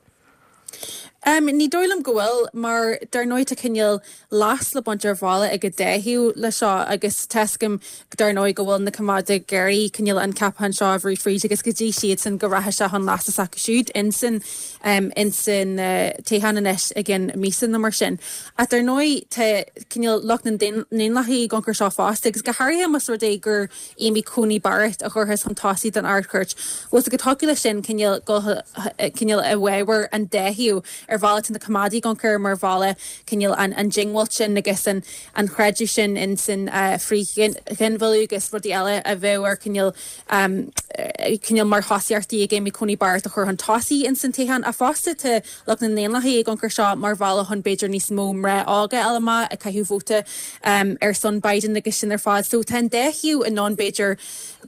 Speaker 5: Ní dóigh liom go bhfuil, mar dar ndóigh tá cineál leas le baint ar bhealach ag an dá thaobh le seo agus tá's agam dar ndóigh go bhfuil na coimeádaigh ag iarraidh cineál an ceapachán seo a bhrú fríd agus go dtí siadsan go rachaidh sé chun leasa s'acu siúd insan insan toghchán anois i gceann míosa nó mar sin. Ach dar ndóigh tá cineál lucht na nDaonlathaithe ag amharc air seo fosta agus go háirithe más rud é gur Amy Coney Barrett a chuirfeas chun tosaigh don Ard-Chúirt. Bhfuil 's agat thiocfadh leis sin cineál dul cineál i bhfabhar an dá thaobh. Ar bhealach tá na coimeádaigh ag amharc air mar bhealach cineál an an diongbháilt sin agus an an chreideamh sin in san frith-ghinmhilleadh agus rudaí eile a bheadh ar cineál cineál mar thosaíochtaí ag Amy Coney Barrett a chur chun tosaigh in san toghchán. Ach fosta tá lucht na nDaonlathaithe ag amharc air seo mar bhealach chun b'fhéidir níos mó mná óga a fháil amach ag caitheamh vóta ar son Biden agus sin ar fad. So tá an dá thaobh in ann b'fhéidir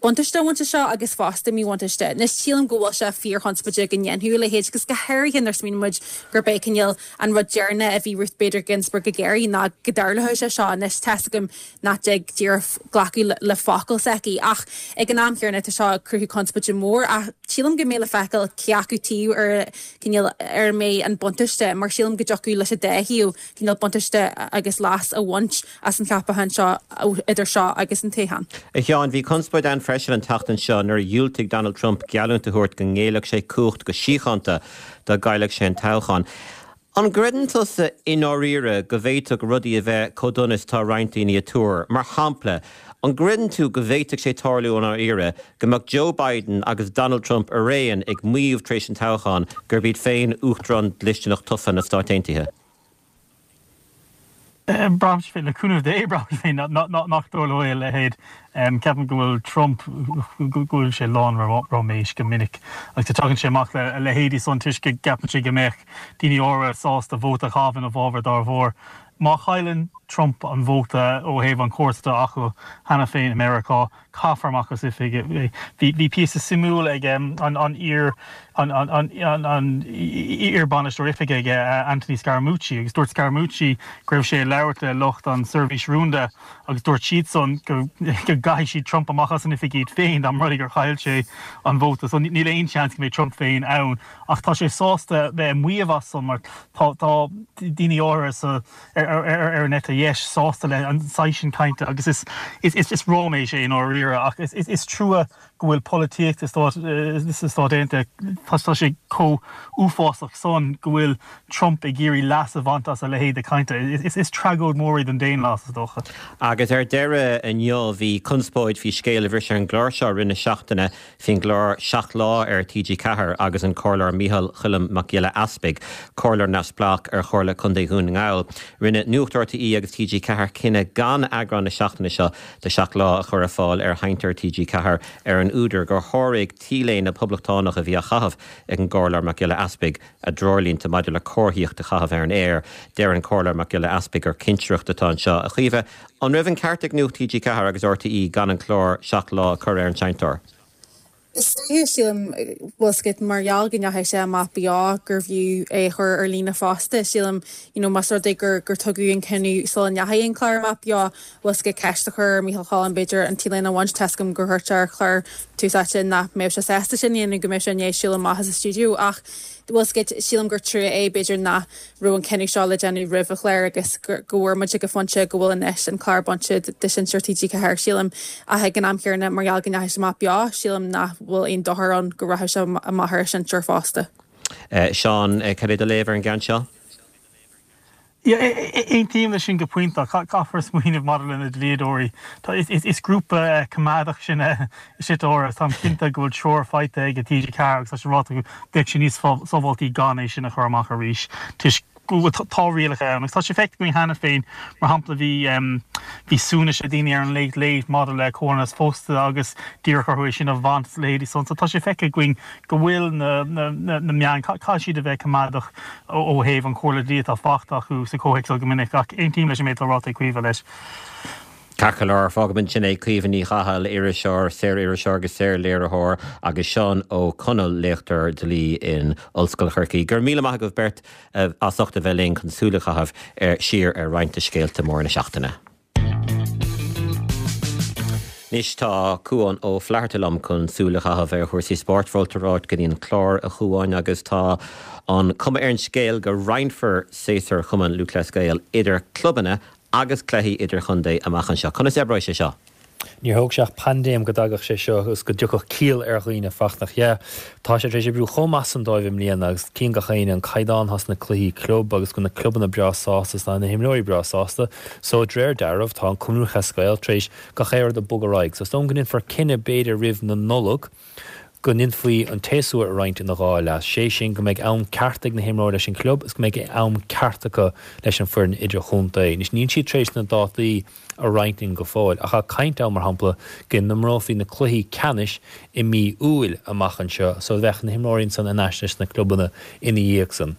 Speaker 5: buntáiste a bhaint as seo agus fosta míbhuntáiste. Anois sílim go bhfuil sé fíorchonspóideach go ndéanfadh a leithéid agus go háirithe nuair a smaoiníonn muid gurb é cineál an rud deireanach a bhí Ruth Bader Ginsburg ag iarraidh ná go dtarlódh sé seo. Anois tá's agam nach dtig díreach glacadh le focal s'aici. Ach ag an am chéanna tá seo ag cruthú conspóide mór ach sílim go mbeidh le feiceáil cé acu taobh ar cineál ar a mbeidh an buntáiste mar sílim go dtiocfadh leis an dá thaobh cineál buntáiste agus leas a bhaint as an cheapachán seo idir seo agus an toghchán.
Speaker 1: A Sheáin, bhí conspóid ann freisin an tseachtain seo nuair a dhiúltaigh Donald Trump geallúint a thabhairt go ngéillfeadh sé cumhacht go síochánta dá gcaillfeadh sé an toghchán. An gcreideann tusa i ndáiríre go bhféadfadh rudaí a bheith chomh dona is atá roinnt daoine ag tuar? Mar shampla, an gcreideann tú go bhféadfadh sé tarlú i ndáiríre go mbeadh Joe Biden agus Donald Trump araon ag maíomh tar éis an toghcháin gurb iad féin Uachtarán dlisteanach tofa na Stát Aontaithe?
Speaker 6: Braithimse féin, le cúnamh Dé, braithimse féin nach dtarlóidh a leithéid. Ceapaim go bhfuil Trump, go bhfuil sé lán ráiméis go minic agus tagann sé amach le a leithéidí san toisc go gceapann sé go mbeadh daoine áirithe sásta vóta a chaitheamh ina bhfabhar dá bharr. Má chailleann Trump an vóta ó thaobh an chórais atá acu cheana féin i Meiriceá, Caithfear amach as oifig é. Bhí píosa suimiúil ag an iar an iar-bhainisteoir oifige aige, Anthony Scaramucci, agus dúirt Scaramucci go raibh sé ag labhairt le lucht an seirbhís rúnda agus dúirt siadsan go gcaithfidh siad Trump amach as an oifig iad féin dá mba rud é gur chaill sé an vóta. So níl aon seans go mbeidh Trump féin ann ach tá sé sásta bheith ag maíomh as san mar tá daoine áirithe sa ar an eite dheis sásta le an saghas sin cainte agus is is ráiméis é i ndáiríre ach is trua go bhfuil polaitíocht sna Stáit Aontaithe, tá sé chomh uafásach san go bhfuil Trump ag iarraidh leas a bhaint as a leithéid de chainte. Is tragóid mhór é don daonlathas, is dócha.
Speaker 1: Agus ar deireadh inniu bhí conspóid faoi scéal a bhris ar an gclár seo i rith na seachtaine faoin gclár Seacht Lá ar TG4 agus an Comhairleoir Micheál Choilm Mac Giolla Easpaig, Comhairleoir neamhspleách ar Chomhairle Contae Dhún na nGall. Rinne Nuacht RTÉ agus TG4 cinneadh gan eagrán na seachtaine seo de Seacht Lá a chur ar fáil ar sheinnteoir TG4 ar an údar gur sháraigh T-léine poblachtánach a bhí á chaitheamh ag an gComhairleoir Mac Giolla Easpaig a dtreoirlínte maidir le comharthaíocht a chaitheamh ar an aer. Deir an Comhairleoir Mac Giolla Easpaig gur cinsireacht atá anseo. A Chaoimhe, an raibh an ceart ag Nuacht TG4 agus RTÉ gan an clár Seacht Lá a chur ar an seinnteoir?
Speaker 5: Is dóiche, sílim, bhfuil 's agat, mar gheall go ndeachaigh sé amach beo gurbh fhiú é a chur ar líne fosta. Sílim, you know, más rud é gur gur tugadh an cinneadh sula ndeachaigh an clár amach beo, bhfuil 's agat, ceist a chur ar Micheál Choilm, b'fhéidir, an T-léine a bhaint. Tá's agam gur dhúirt sé ar chlár Tús Áite nach mbeadh sé sásta sin a dhéanamh, go mbeadh sé i ndiaidh siúl amach as an stiúideo ach, bhfuil 's agat, sílim gur trua é, b'fhéidir, nach raibh an cinneadh seo le déanamh roimh an chlár agus go bhfuair muid ag an phointe go bhfuil anois an clár bainte de sheinnteoir TG4, sílim. Ach ag an am chéanna, mar gheall go ndeachaigh sé amach beo, sílim nach bhfuil aon dochar ann go rachadh sé amach ar an seinnteoir fosta.
Speaker 1: Seán, cad é do léamh ar an gceann seo?
Speaker 6: Yeah, aontaím leis sin go pointe ach caithfear smaoineamh maidir le na dlíodóirí. Is grúpa coimeádach sinne is ea agus táim cinnte go bhfuil treoir faighte ag TG4 agus tá sé ráite acu bheadh sé níos sábháiltí gan é sin a chur amach arís toisc go bhfuil tá rialacha ann agus tá sé feicthe againn cheana féin mar shampla bhí bhí suaimhneas ag daoine ar an Late Late maidir le comhionannas pósta agus d'iarradh orthu é sin a bhaint is a leithéidí san so tá sé feicthe againn go bhfuil na meáin, caithfidh siad a bheith coimeádach ó thaobh an chomhairle dlí atá faighte acu sa chomhthéacs seo go minic, ach aontaím leis an méid atá ráite ag Caoimhe leis.
Speaker 1: Ceart go leor, fágfaimid ansin é. Caoimhe Ní Chathail, iriseoir, saor-iriseoir agus saor-léiritheoir, agus Seán Ó Conaill, léachtóir dlí in Ollscoil Chorcaí. Go raibh míle maith agaibh beirt as ucht a bheith linn chun súil a chaitheamh siar ar roinnt de scéalta móra na seachtaine. Anois tá Cuán Ó Flatharta liom chun súil a chaitheamh ar chúrsaí spóirt. Fáilte romhat go dtí an clár, a Chuáin, agus tá an cuma ar an scéal go roinnfear séasúr Chumann Lúthchleas Gael idir clubanna agus cluichí idirchontae amach anseo. Conas a oibreoidh sé seo?
Speaker 7: Níor thóg sé ach paindéim go dtagadh sé seo agus go dtiocfadh ciall ar dhaoine, Fachtna. Yeah, tá sé tar éis oibriú chomh maith san dóibh i mbliana agus cíonn gach éinne an caighdeán atá sna cluichí club agus go bhfuil na clubanna breá sásta is tá na himreoirí breá sásta. So, de réir dealraimh, tá an Cumann Lúthchleas Gael tar éis gach aon rud a bhogadh ar aghaidh. So, is dóigh liom go ndéanfar cinneadh b'fhéidir roimh na Nollag go ndéanfaí an tséasúr a roinnt ina dhá leath, sé sin go mbeidh am ceart ag na himreoirí leis an gclub is go mbeidh am ceart acu leis an foireann idirchontae. Anois níl siad tar éis na dátaí a roinnt linn go fóill ach tá caint ann mar shampla go n-imreofaí na cluichí ceannais i mí Iúil amach anseo so bheadh na himreoirí ansan in ais leis na clubanna ina dhiaidh san.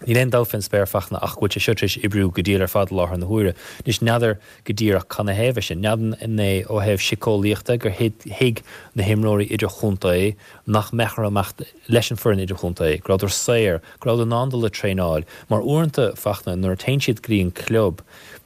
Speaker 7: Níl aon dabht fén spéir, Fachtna, ach go bhfuil sé seo tar éis oibriú go diail ar fad i láthair na huaire. Anois, n'fheadar go díreach canathaobh é sin. N'fheadar an é ó thaobh siceolaíochta gur thuig na himreoirí idirchontae nach mbeadh orthu imeacht leis an foireann idirchontae, go rabhadar saor, go rabhadar in ann dul ag traenáil. Mar uaireanta, Fachtna, nuair a téann siad go dtí an club,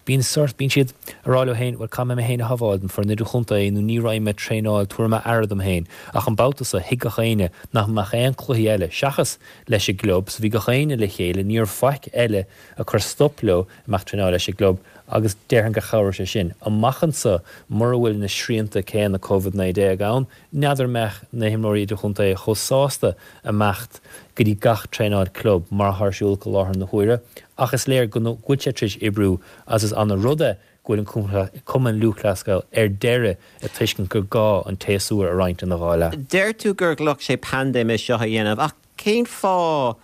Speaker 7: bíonn sort, bíonn siad ag rá leo féin, bhuel, caithfidh mé mé féin a shábháil don foireann idirchontae nó ní raghaidh mé ag traenáil, tabharfaidh mé aire dom féin. Ach an babhta seo, thuig gach éinne nach mbeadh aon cluichí eile, seachas leis an gclub, so bhí gach éinne le chéile, ní raibh faic eile ag cur stop leo imeacht traenáil leis an gclub agus déarfainn gur chabhraigh sé sin. Amach anso, mura bhfuil na srianta céanna Covid-19 ann, n'fheadar an mbeadh na himreoirí idirchontae chomh sásta imeacht go dtí gach traenáil club mar atá ar siúl acu i láthair na huaire ach is léir go bhfuil sé tar éis oibriú agus is ana rud é go bhfuil an Cumann Lúthchleas Gael ar deireadh ag tuiscint gur gá an tséasúr a roinnt ina dhá leath.
Speaker 1: Deir tú gur ghlac sé paindéim é seo a dhéanamh ach cén fáth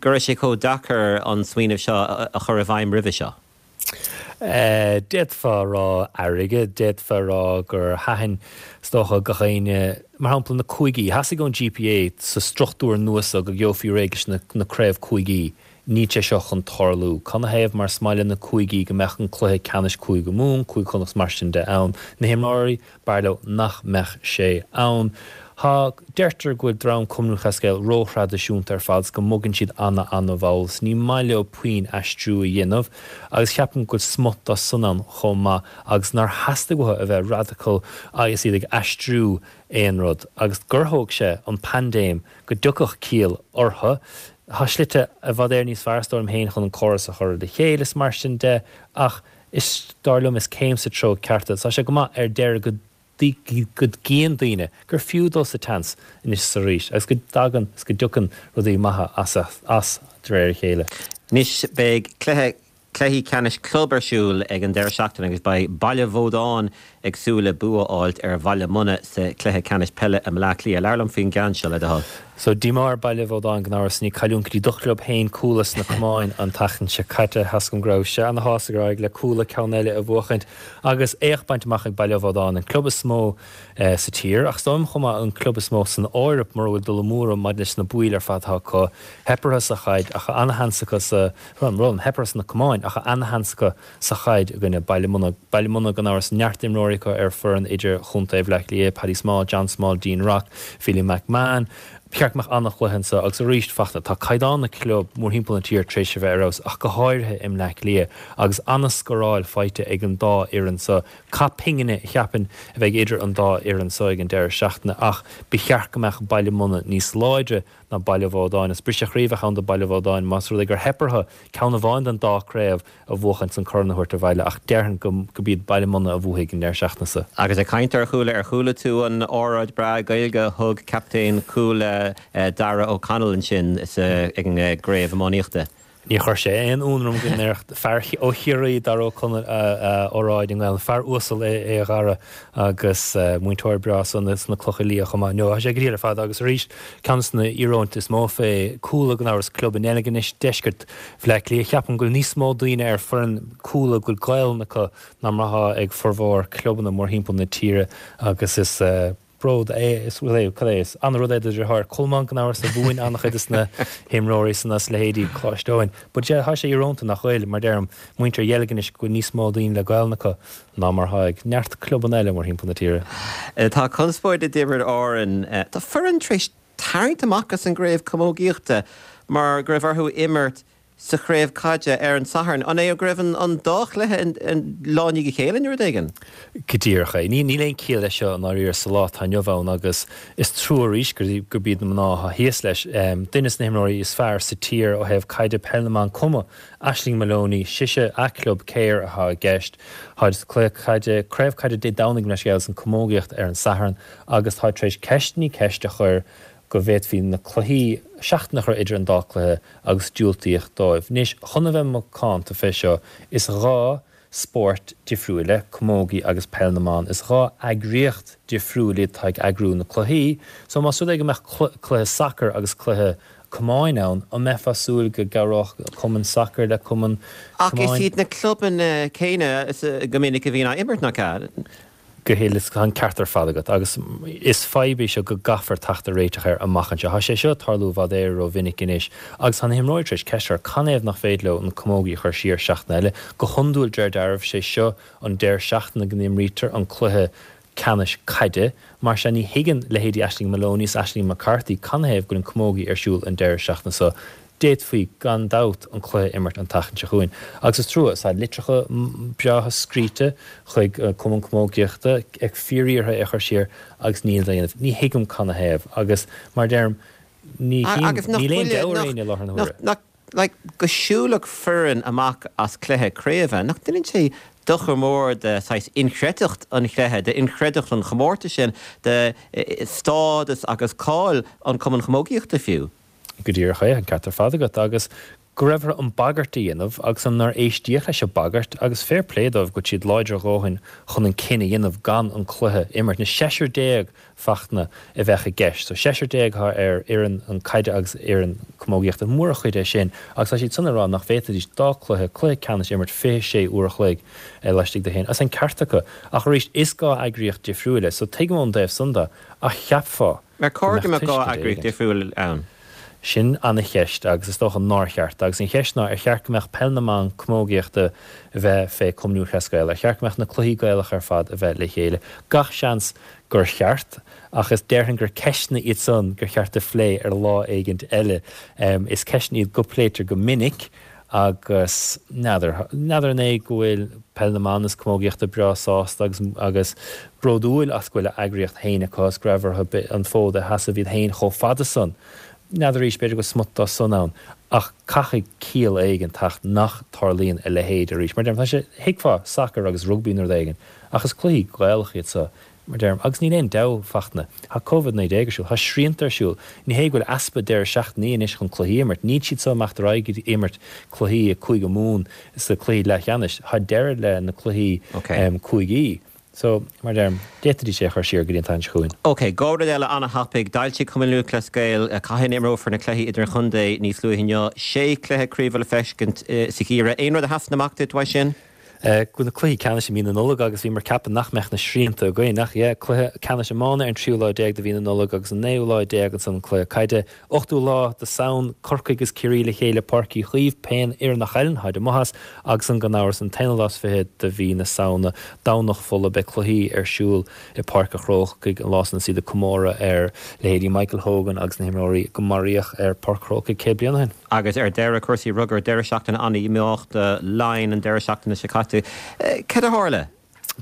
Speaker 1: go raibh sé chomh deacair an smaoineamh seo a chur i bhfeidhm roimhe seo?
Speaker 7: D'fhéadfá a rá airgead, d'fhéadfá a rá gur thaitin, is dócha, gach éinne, mar shampla na cúigí. Theastaigh ón GPA sa struchtúr nua seo go gheofaí réidh leis na craobh cúigí. Níl sé seo chun tarlú. Canathaobh? Mar is maith le na cúigí go mbeadh an cluiche ceannais Cúige Mumhan, Cúige Chonnacht is mar sin de ann. Na himreoirí, b'fhearr leo nach mbeadh sé ann. Tá, deirtear go bhfuil dream Cumann Lúthchleas Gael ró-thraidisiúnta ar fad 's go mbogann siad ana-ana-mhall 's ní maith leo puinn aistriú a dhéanamh agus ceapaim go bhfuil smut dá san ann chomh maith agus nár theastaigh uathu a bheith radical agus iad ag aistriú aon rud agus gur thóg sé an paindéim go dtiocfadh ciall orthu. Tá slite i bhfad Éireann níos fearr is dóigh liom féin chun an córas a chur le chéile is mar sin de ach is, dar liom, is céim sa treo ceart é. Tá sé go maith ar deireadh go go gcíonn daoine gur fiú dul sa tseans anois is arís agus go dtagann is go dtiocann rudaí maithe as as de réir a chéile.
Speaker 1: Anois beidh cluiche Cluichí ceannais club ar siúl ag an deireadh seachtaine agus beidh Baile Bhódáin ag súil le bua a fháilt ar Bhaile Munna sa chluiche ceannais peile i mBleá Cliath. Labhair liom faoin gceann seo, le do thoil.
Speaker 7: So, díomá ar Baile Bhódáin gan amhras i ndiaidh cailliúint go dtí do chlub féin Cuala sna camáin an tseachtain seo caite. Tá 's agam go raibh sé ana-shásta gur éirigh le Cuala ceann eile a bhuachaint agus éacht bainte amach ag Baile Bhódáin, an club is mó sa tír ach is dóigh liom chomh maith an club is mó san Eoraip mura bhfuil dul amú orm maidir leis na baill ar fad atá acu. Theip orthu sa chaid ach ana-sheans acu sa Run, run, theip orthu sna camáin ach ana-sheans acu sa chaid i gcoinne Baile Munna. Baile Munna, gan amhras, neart imreoirí acu ar foireann idir-chontae Bhaile Átha Cliath, Paddy Small, John Small, Dean Rock, Philly McMahon. Ba cheart go mbeadh an-chluiche anseo agus arís, Fachtna, tá caighdeán na club mórthimpeall na tíre tar éis a bheith ar fheabhas ach go háirithe i mBleá Cliath agus an-scoráil faighte ag an dá fhoireann seo. Cath pingine, cheapfainn, a bheidh idir an dá fhoireann seo ag an deireadh seachtaine ach ba cheart go mbeadh Baile Munna níos láidre ná Baile Bhódáin. Is briseadh croí a bheadh ann do Baile Bhódáin más rud é gur theip orthu ceann amháin den dá craobh a bhuachaint 's an corn a thabhairt abhaile ach déarfainn go gurb iad Baile Munna a bhuafaidh an deireadh seachtaine seo.
Speaker 1: Agus ag caint ar Chuala, ar chuala tú an óráid breá Gaeilge a thug captaen Chuala Darragh O'Connell ansin ag an gcraobh iománaíochta?
Speaker 7: Níor chuir sé aon ionadh orm go ndéarfadh fear ó Chiarraí, Darragh O'Connell, a óráid i nGaelainn. Fear uasal é a Dhara agus múinteoir breá sna Clocha Liath chomh maith. No, tá sé go diail ar fad agus arís, ceann de na íoróintí is mó fé Cuala gan amhras, club i nDeilginis, deisceart Bhaile Átha Cliath. Ceapaim go bhfuil níos mó daoine ar foireann Cuala go bhfuil Gaelainn acu ná mar atá ag formhór clubanna mórthimpeall na tíre agus is bród é, is bhuel é, cad é, is an-rud é do dheartháir Colmán gan amhras a mhúin an-chuid de na himreoirí san as leithéidí Coláiste Eoin. But yeah, tá sé íorónta nach bhfuil, mar deirim, muintir Dheilginis go bhfuil níos mó daoine le Gaelainn acu ná mar atá ag neart clubanna eile mórthimpeall na tíre.
Speaker 1: Tá conspóid i dTiobraid Árann. Tá foireann tar éis tarraingt amach as an gcraobh camógaíochta mar go raibh orthu imirt. sa chraobh caide ar an Satharn. An é go raibh an dá chluiche lá i ndiaidh a chéile nó rud éigin?
Speaker 7: Go díreach é. Níl aon chiall leis seo i ndáiríre sa lá atá inniu ann agus is trua arís gurb iad na mná atá thíos leis. Duine de na himreoirí is fearr sa tír ó thaobh caide peil na mban cuma, Aisling Moloney, sise, a club Cahir atá i gceist. Táid sa cluiche caide, craobh caide Dé Domhnaigh leis agus an camógaíocht ar an Satharn agus táid tar éis ceist i ndiaidh ceist a chur go bhféadfaí na cluichí, seachtain a chur idir an dá cluiche agus diúltaíodh dóibh. Anois, chun a bheith macánta fé seo, is 2 spórt difriúil é, camógaí agus peil na mban. Is 2 eagraíocht difriúil iad atá ag eagrú na cluichí. So más rud é go mbeadh cluiche sacair agus cluiche camáin ann, an mbeifeá súil go gcabhródh cumann sacair le cumann
Speaker 1: Ach is camáin? iad na clubanna céanna go minic a bhíonn á imirt, nach ea?
Speaker 7: Go huile is tá an ceart ar fad agat agus is fadhb í seo go gcaithfear teacht ar réiteach air amach anseo. Tá sé seo ag tarlú i bhfad Éire ró-mhinic anois agus tá na himreoirí tar éis ceist a chur canathaobh nach féidir leo an camógaí a chur siar seachtain eile. Go hiondúil de réir dealraimh sé seo an deireadh seachtaine go n-imrítear an cluiche ceannais caide. Mar sin ní thuigeann leithéidí Aisling Moloney is Aisling McCarthy canathaobh go bhfuil an camógaí ar siúl an deireadh seachtaine seo. D'fhéadfaí, gan dabht, an cluiche a imirt an tseachtain seo chugainn. Agus is trua, tá litreacha breátha scríte chuig Cumann Camógaíochta ag fíoriarraidh é a chur siar agus níl á dhéanamh. Ní thuigim canathaobh. Agus, mar a deirim, ní
Speaker 1: chím, níl aon deabhadh ar éinne i láthair na huaire. Nach, like, go siúlfadh foireann amach as cluiche craoibhe, nach ndéanann sé dochar mór de saghas inchreidteacht an chluiche, d'inchreidteacht an chomórtais sin, de stádas agus cáil an Chumainn Chamógaíochta fiú?
Speaker 7: Go díreach é, an ceart ar fad agat. Agus go raibh orthu an bagairt a dhéanamh agus an nár éistíodh leis an bagairt agus fair play dóibh go bhfuil siad láidir a dhóthain chun an cinneadh a dhéanamh gan an cluiche a imirt. Na seisear déag Fachtna a bheadh i gceist. So seisear déag atá ar fhoireann an caide agus fhoireann camógaíochta. Mórchuid é sin agus tá siad san ag rá nach bhféadfaidís dá cluiche, cluiche ceannais a imirt 26 uair a chloig laistigh de shin. Agus an ceart acu. Ach arís is 2 eagraíocht difriúil é. So tuigim ón dtaobh san de ach cheapfá
Speaker 1: Ar chóir go mbeadh 2 eagraíocht difriúil ann?
Speaker 7: Sin ana-cheist agus is dócha nár cheart. Agus an cheist ná ar cheart go mbeadh peil na mban camógaíochta a bheith fé Cumann Lúthchleas Gael? Ar cheart go mbeadh na cluichí Gaelacha ar fad a bheith le chéile? Gach seans gur cheart ach is déarfainn gur ceisteanna iad san gur cheart a phlé ar lá éigint eile. Is ceisteanna iad go pléitear go minic Agus n'fheadar, n'fheadar an é go bhfuil Peil na mBan is Camógaíochta breá sásta agus agus bródúil as go bhfuil a eagraíocht féin acu agus go raibh orthu an fód a sheasamh iad féin chomh fada san. N'fheadar arís, b'fhéidir go bhfuil smut dá san ann. Ach caithfidh ciall éigin teacht nach tarlaíonn a leithéid arís. Mar deirim, tá sé, thuigfeá sacar agus rugbaí nó rud éigin, ach is cluichí Gaelacha iad so. Mar deirim, agus níl aon deabhadh, Fachtna. Tá Covid-19 ar siúl, tá srianta ar siúl. Ní hé go bhfuil easpa deireadh seachtainí anois chun cluichí a imirt. Níl siad so ag imeacht ar aghaidh ag imirt cluichí i Cúige Mumhan sa cluichí leathcheannais. Tá deireadh le na cluichí cúigí. So, mar deirim, d'fhéadfaidís é a chur siar go dtí an tseachtain seo chugainn.
Speaker 1: Ok, 2 rud eile an-thapaidh. D'fhoilsigh Cumann Lúthchleas Gael cathain a imreofar na cluichí idirchontae níos luaithe inniu. Sé chluiche craoibhe le feiscint sa gheimhreadh. Aon rud a sheasann amach duit uaidh sin?
Speaker 7: Go na cluichí ceannais i mí na Nollag agus bhíomar ag ceapadh nach mbeadh na srianta againn ach yeah, cluiche ceannais iomána ar an tríú lá déag de mhí na Nollag agus an naoú lá déag ansan an cluiche caide. Ochtú lá de Samhain, Corcaigh agus Ciarraí le chéile Páirc Uí Chaoimh, pé fhoireann a chailleann, táid amuigh as, agus an gan amhras an t-aonú lá is fiche de mhí na Samhna, Domhnach Fola, beidh cluichí ar siúl i Páirc a' Chrócaigh an lá san is iad ag comóradh ar leithéidí Michael Hogan agus na himreoirí go maraíodh ar Páirc Chrócaigh 100 bliain ó shin.
Speaker 1: Agus ar deireadh, cúrsaí rugair, deireadh seachtaine an-dhíomách do Laighin an deireadh seachtaine seo caite. Cad a tharla?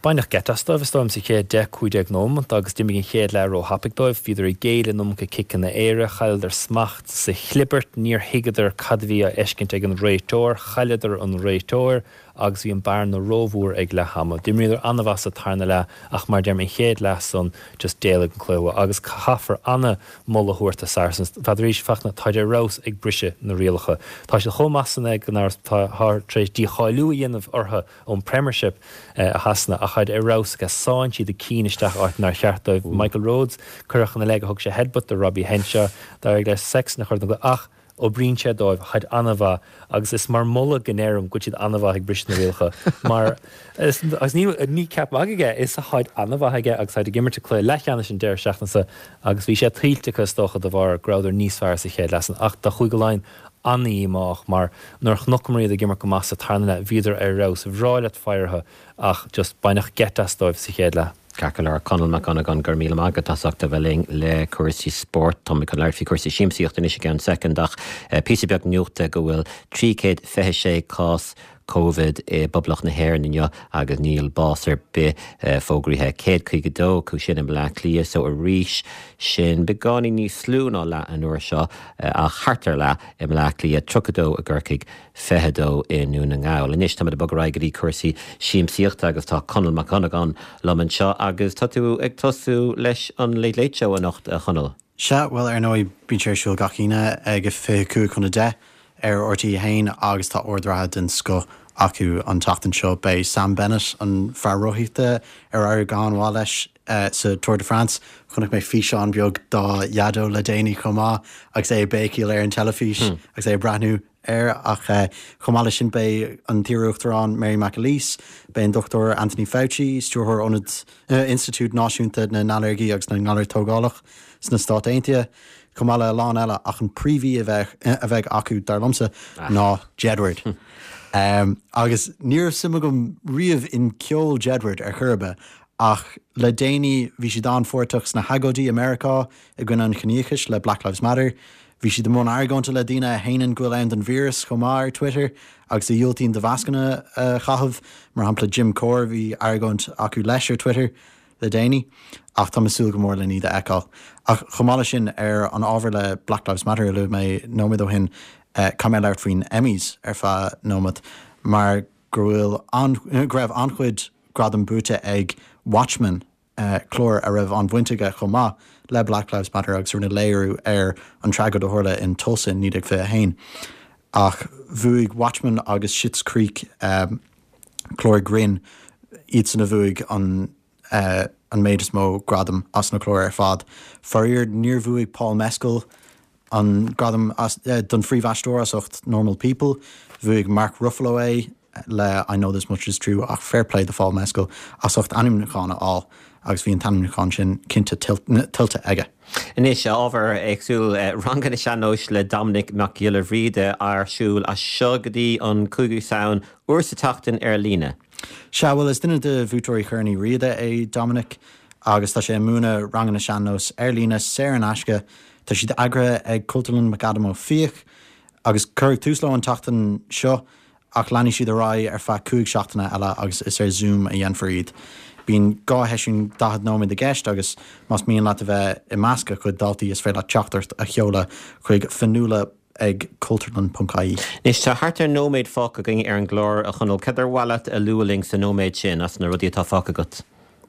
Speaker 7: Baineadh geit as dóibh, is dóigh liom, sa chéad 10, 15 nóimeant agus d'imigh an chéad leath ró-thapaidh dóibh. Bhíodar ag géilleadh an iomarca ciceanna aeir, chailleadar smacht sa chlibirt, níor thuigeadar cad a bhí á fheiscint ag an réiteoir, chailleadar an réiteoir. agus bhí an bearna rómhór ag leath ama. D'imríodar an-mhaith sa tarna leath ach mar a deirim an chéad leath san just d'éalaigh an cluiche uathu agus caithfear an-mholadh a thabhairt do Saracens. N'fheadar arís Fachtna, táid ar fheabhas ag briseadh na rialacha. Tá siad chomh maith san gan amhras táthar tar éis dícháiliú a dhéanamh orthu ón Premiership i Shasana ach táid ar fheabhas agus sánn siad a cinn isteach áit nár cheart dóibh. Michael Rhodes, cuireadh ina leith gur thug sé headbutt do Robbie Henshaw. D'éirigh le Sexton a chur den gcluiche ach Oibríonn sé dóibh, táid an-mhaith agus is mar mholadh go ndeirim go bhfuil siad an-mhaith ag briseadh na rialacha mar agus ní ní ceap magaidh é, is táid an-mhaith aige agus táid ag imirt i cluiche leathcheannais an deireadh seachtaine seo agus bhí sé tuillte acu is dócha de bharr go rabhadar níos fearr sa chéad leath san ach do Chúige Laighean an-dhíomách mar nuair a chonaiceamar iad ag imirt go maith sa tarna leath bhíodar ar fheabhas, bhreá leat faire orthu ach just baineadh geit as dóibh sa chéad leath.
Speaker 1: Ceart go leor, Conall Mac Dhonnagáin, go raibh míle maith agat as ucht a bheith linn le cúrsaí spóirt. Táimid chun labhairt faoi chúrsaí siamsaíochta anois i gceann soicind ach píosa beag nuachta go bhfuil 326 cás Covid i bPoblacht na hÉireann inniu agus níl bás ar bith fógraithe. 152 acu sin i mBleá Cliath so arís sin beagáinín níos lú ná leath an uair seo ach thart ar leath i mBleá Cliath, 32 i gCorcaigh, 22 i nDún na nGall. Anois táimid ag bogadh ar aghaidh go dtí cúrsaí siamsaíochta agus tá Conall Mac Dhonnagáin liom anseo agus tá tú ag tosú leis an Late Late Show anocht, a Chonaill.
Speaker 8: Sea, bhuel ar ndóigh bíonn sé ar siúl gach Aoine ag a 25 chun 10 ar RTÉ 1 agus tá ord reatha den scoth acu an tseachtain seo. Beidh Sam Bennett, an fear rothaíochta ar éirigh go han-mhaith leis sa Tour de France, chonaic mé físeán beag dá dhaideo le déanaí chomh maith agus é ag béicíl ar an teilifís agus é ag breathnú air. Ach chomh maith leis sin beidh an t-iarUachtarán Mary McAleese, beidh an Dr Anthony Fauci, Stiúrthóir Ionad Institiúid Náisiúnta na nAilléirgí agus na nGalar Tógálach sna Stáit Aontaithe, chomh maith le a lán eile ach an príomhaoi a bheidh acu, dar liomsa, ná Jedward. Agus ní raibh suim agam riamh in ceol Jedward ar chor ar bith ach le déanaí bhí siad an-pháirteach sna hagóidí i Meiriceá i gcoinne an chiníochais le Black Lives Matter. Bhí siad i mbun argóinte le daoine a shéanann go bhfuil ann don víreas chomh maith ar Twitter agus a dhiúltaíonn do mhascanna a chaitheamh, mar shampla Jim Corr, bhí argóint acu leis ar Twitter le déanaí. Ach táim ag súil go mór len iad a fheiceáil. Ach chomh maith leis sin, ar an ábhar le Black Lives Matter a luaigh mé nóiméad ó shin, caithfidh mé labhairt faoin Emmys ar feadh nóiméad mar go bhfuil an, go raibh an-chuid gradam buaite ag Watchmen, clár a raibh an-bhaint aige chomh maith le Black Lives Matter agus a rinne léiriú ar an tragóid a tharla in Tulsa in 1921. Ach bhuaigh Watchmen agus Schitt's Creek, clár grinn, iadsan a bhuaigh an an méid is mó gradam as na cláir ar fad. Faraor, níor bhuaigh Paul Mescal an gradam don phríomhaisteoir as ucht Normal People. Bhuaigh Mark Ruffalo é le I Know This Much Is True ach fair play do Phaul Mescal as ucht ainmniúchán a fháil agus bhí an t-ainmniúchán sin cinnte tuillte aige.
Speaker 1: Anois, ábhar éagsúil, ranganna sean-nóis le Dominic Mac Giolla Bhríde ar siúl as seo go dtí an 5ú Samhain, uair sa tseachtain ar líne.
Speaker 8: Sea, bhuel is duine de bhuaiteoirí Chorn Uí Riada é Dominic agus tá sé ag múineadh ranganna sean-nóis ar líne saor in aisce. Tá siad eagraithe ag Cultúrlann McAdam Ó Fiaich agus cuireadh tús leo an tseachtain seo ach leanfaidh siad ar aghaidh ar feadh 5 seachtaine eile agus is ar Zoom a dhéanfar iad. Bíonn 2 sheisiún 40 nóiméad i gceist agus más mian leat a bheith i measc a chuid daltaí is féidir leat teachtaireacht a sheoladh chuig fionnuala ag cultúrlann.ie.
Speaker 1: Anois tá thart ar nóiméad fágtha againn ar an gclár, a Chonaill. Cad ar mhaith leat a lua linn sa nóiméad sin as na rudaí atá fágtha agat?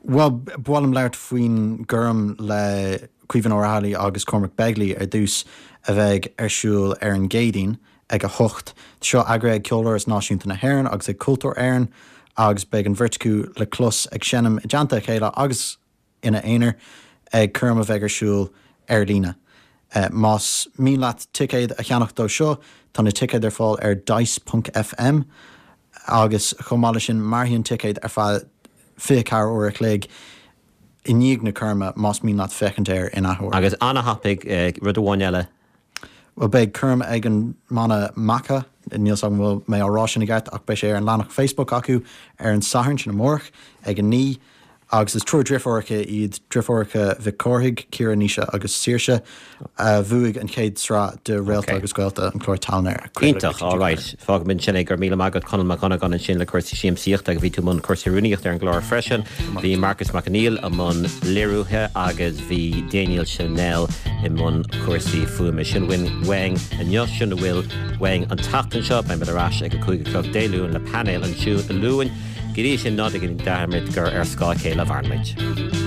Speaker 8: Bhuel, ba mhaith liom labhairt faoin gcoirm le Caoimhín Ó Raghallaigh agus Cormac Begley ar dtús, a bheidh ar siúl ar an gCéadaoin ag 8. Tá seo eagraithe ag Ceoláras Náisiúnta na hÉireann agus ag Cultúr Éireann agus beidh an bheirt acu le clos ag seinm i dteannta a chéile agus ina aonar ag coirm a bheidh ar siúl ar líne. Más mian leat ticéad a cheannach dó seo, tá na ticéid ar fáil ar dice.fm agus chomh maith leis sin mairfidh an ticéad ar feadh 24 uair a chloig i ndiaidh na coirme más mian leat féachaint air in athuair.
Speaker 1: Agus an-thapaidh, rud amháin eile.
Speaker 8: Bhuel, beidh coirm ag an mbanna Macha, níl 's agam an bhfuil mé á rá sin i gceart, ach beidh sé ar an leathanach Facebook acu ar an Satharn, sin amárach, ag 9, agus is triúr driofúracha iad, driofúracha Mhic Cárthaigh, Ciara, Naoise agus Saoirse, a bhuaigh an chéad sraith de Réalta agus Gaolta, an clár tallann ar
Speaker 1: craoladh ar Iontach, all right. Fágfaimid ansin é. Go raibh míle maith agat Conall Mac Dhonnagáin ansin le cúrsaí siamsaíochta agus bhí tú i mbun cúrsaí rúnaíochta ar an gclár freisin. Bhí Marcus Mac Conghail i mbun léiriúithe agus bhí Daniel Chanel i mbun cúrsaí fuaime. Sin uainn inniu, sin a bhfuil uainn an tseachtain seo. Beimid ar ais ag a 5 a chlog Dé Luain le painéal an Luain. Go dtí sin ná déan dearmad gur ar scáth a chéile a mhaireann muid.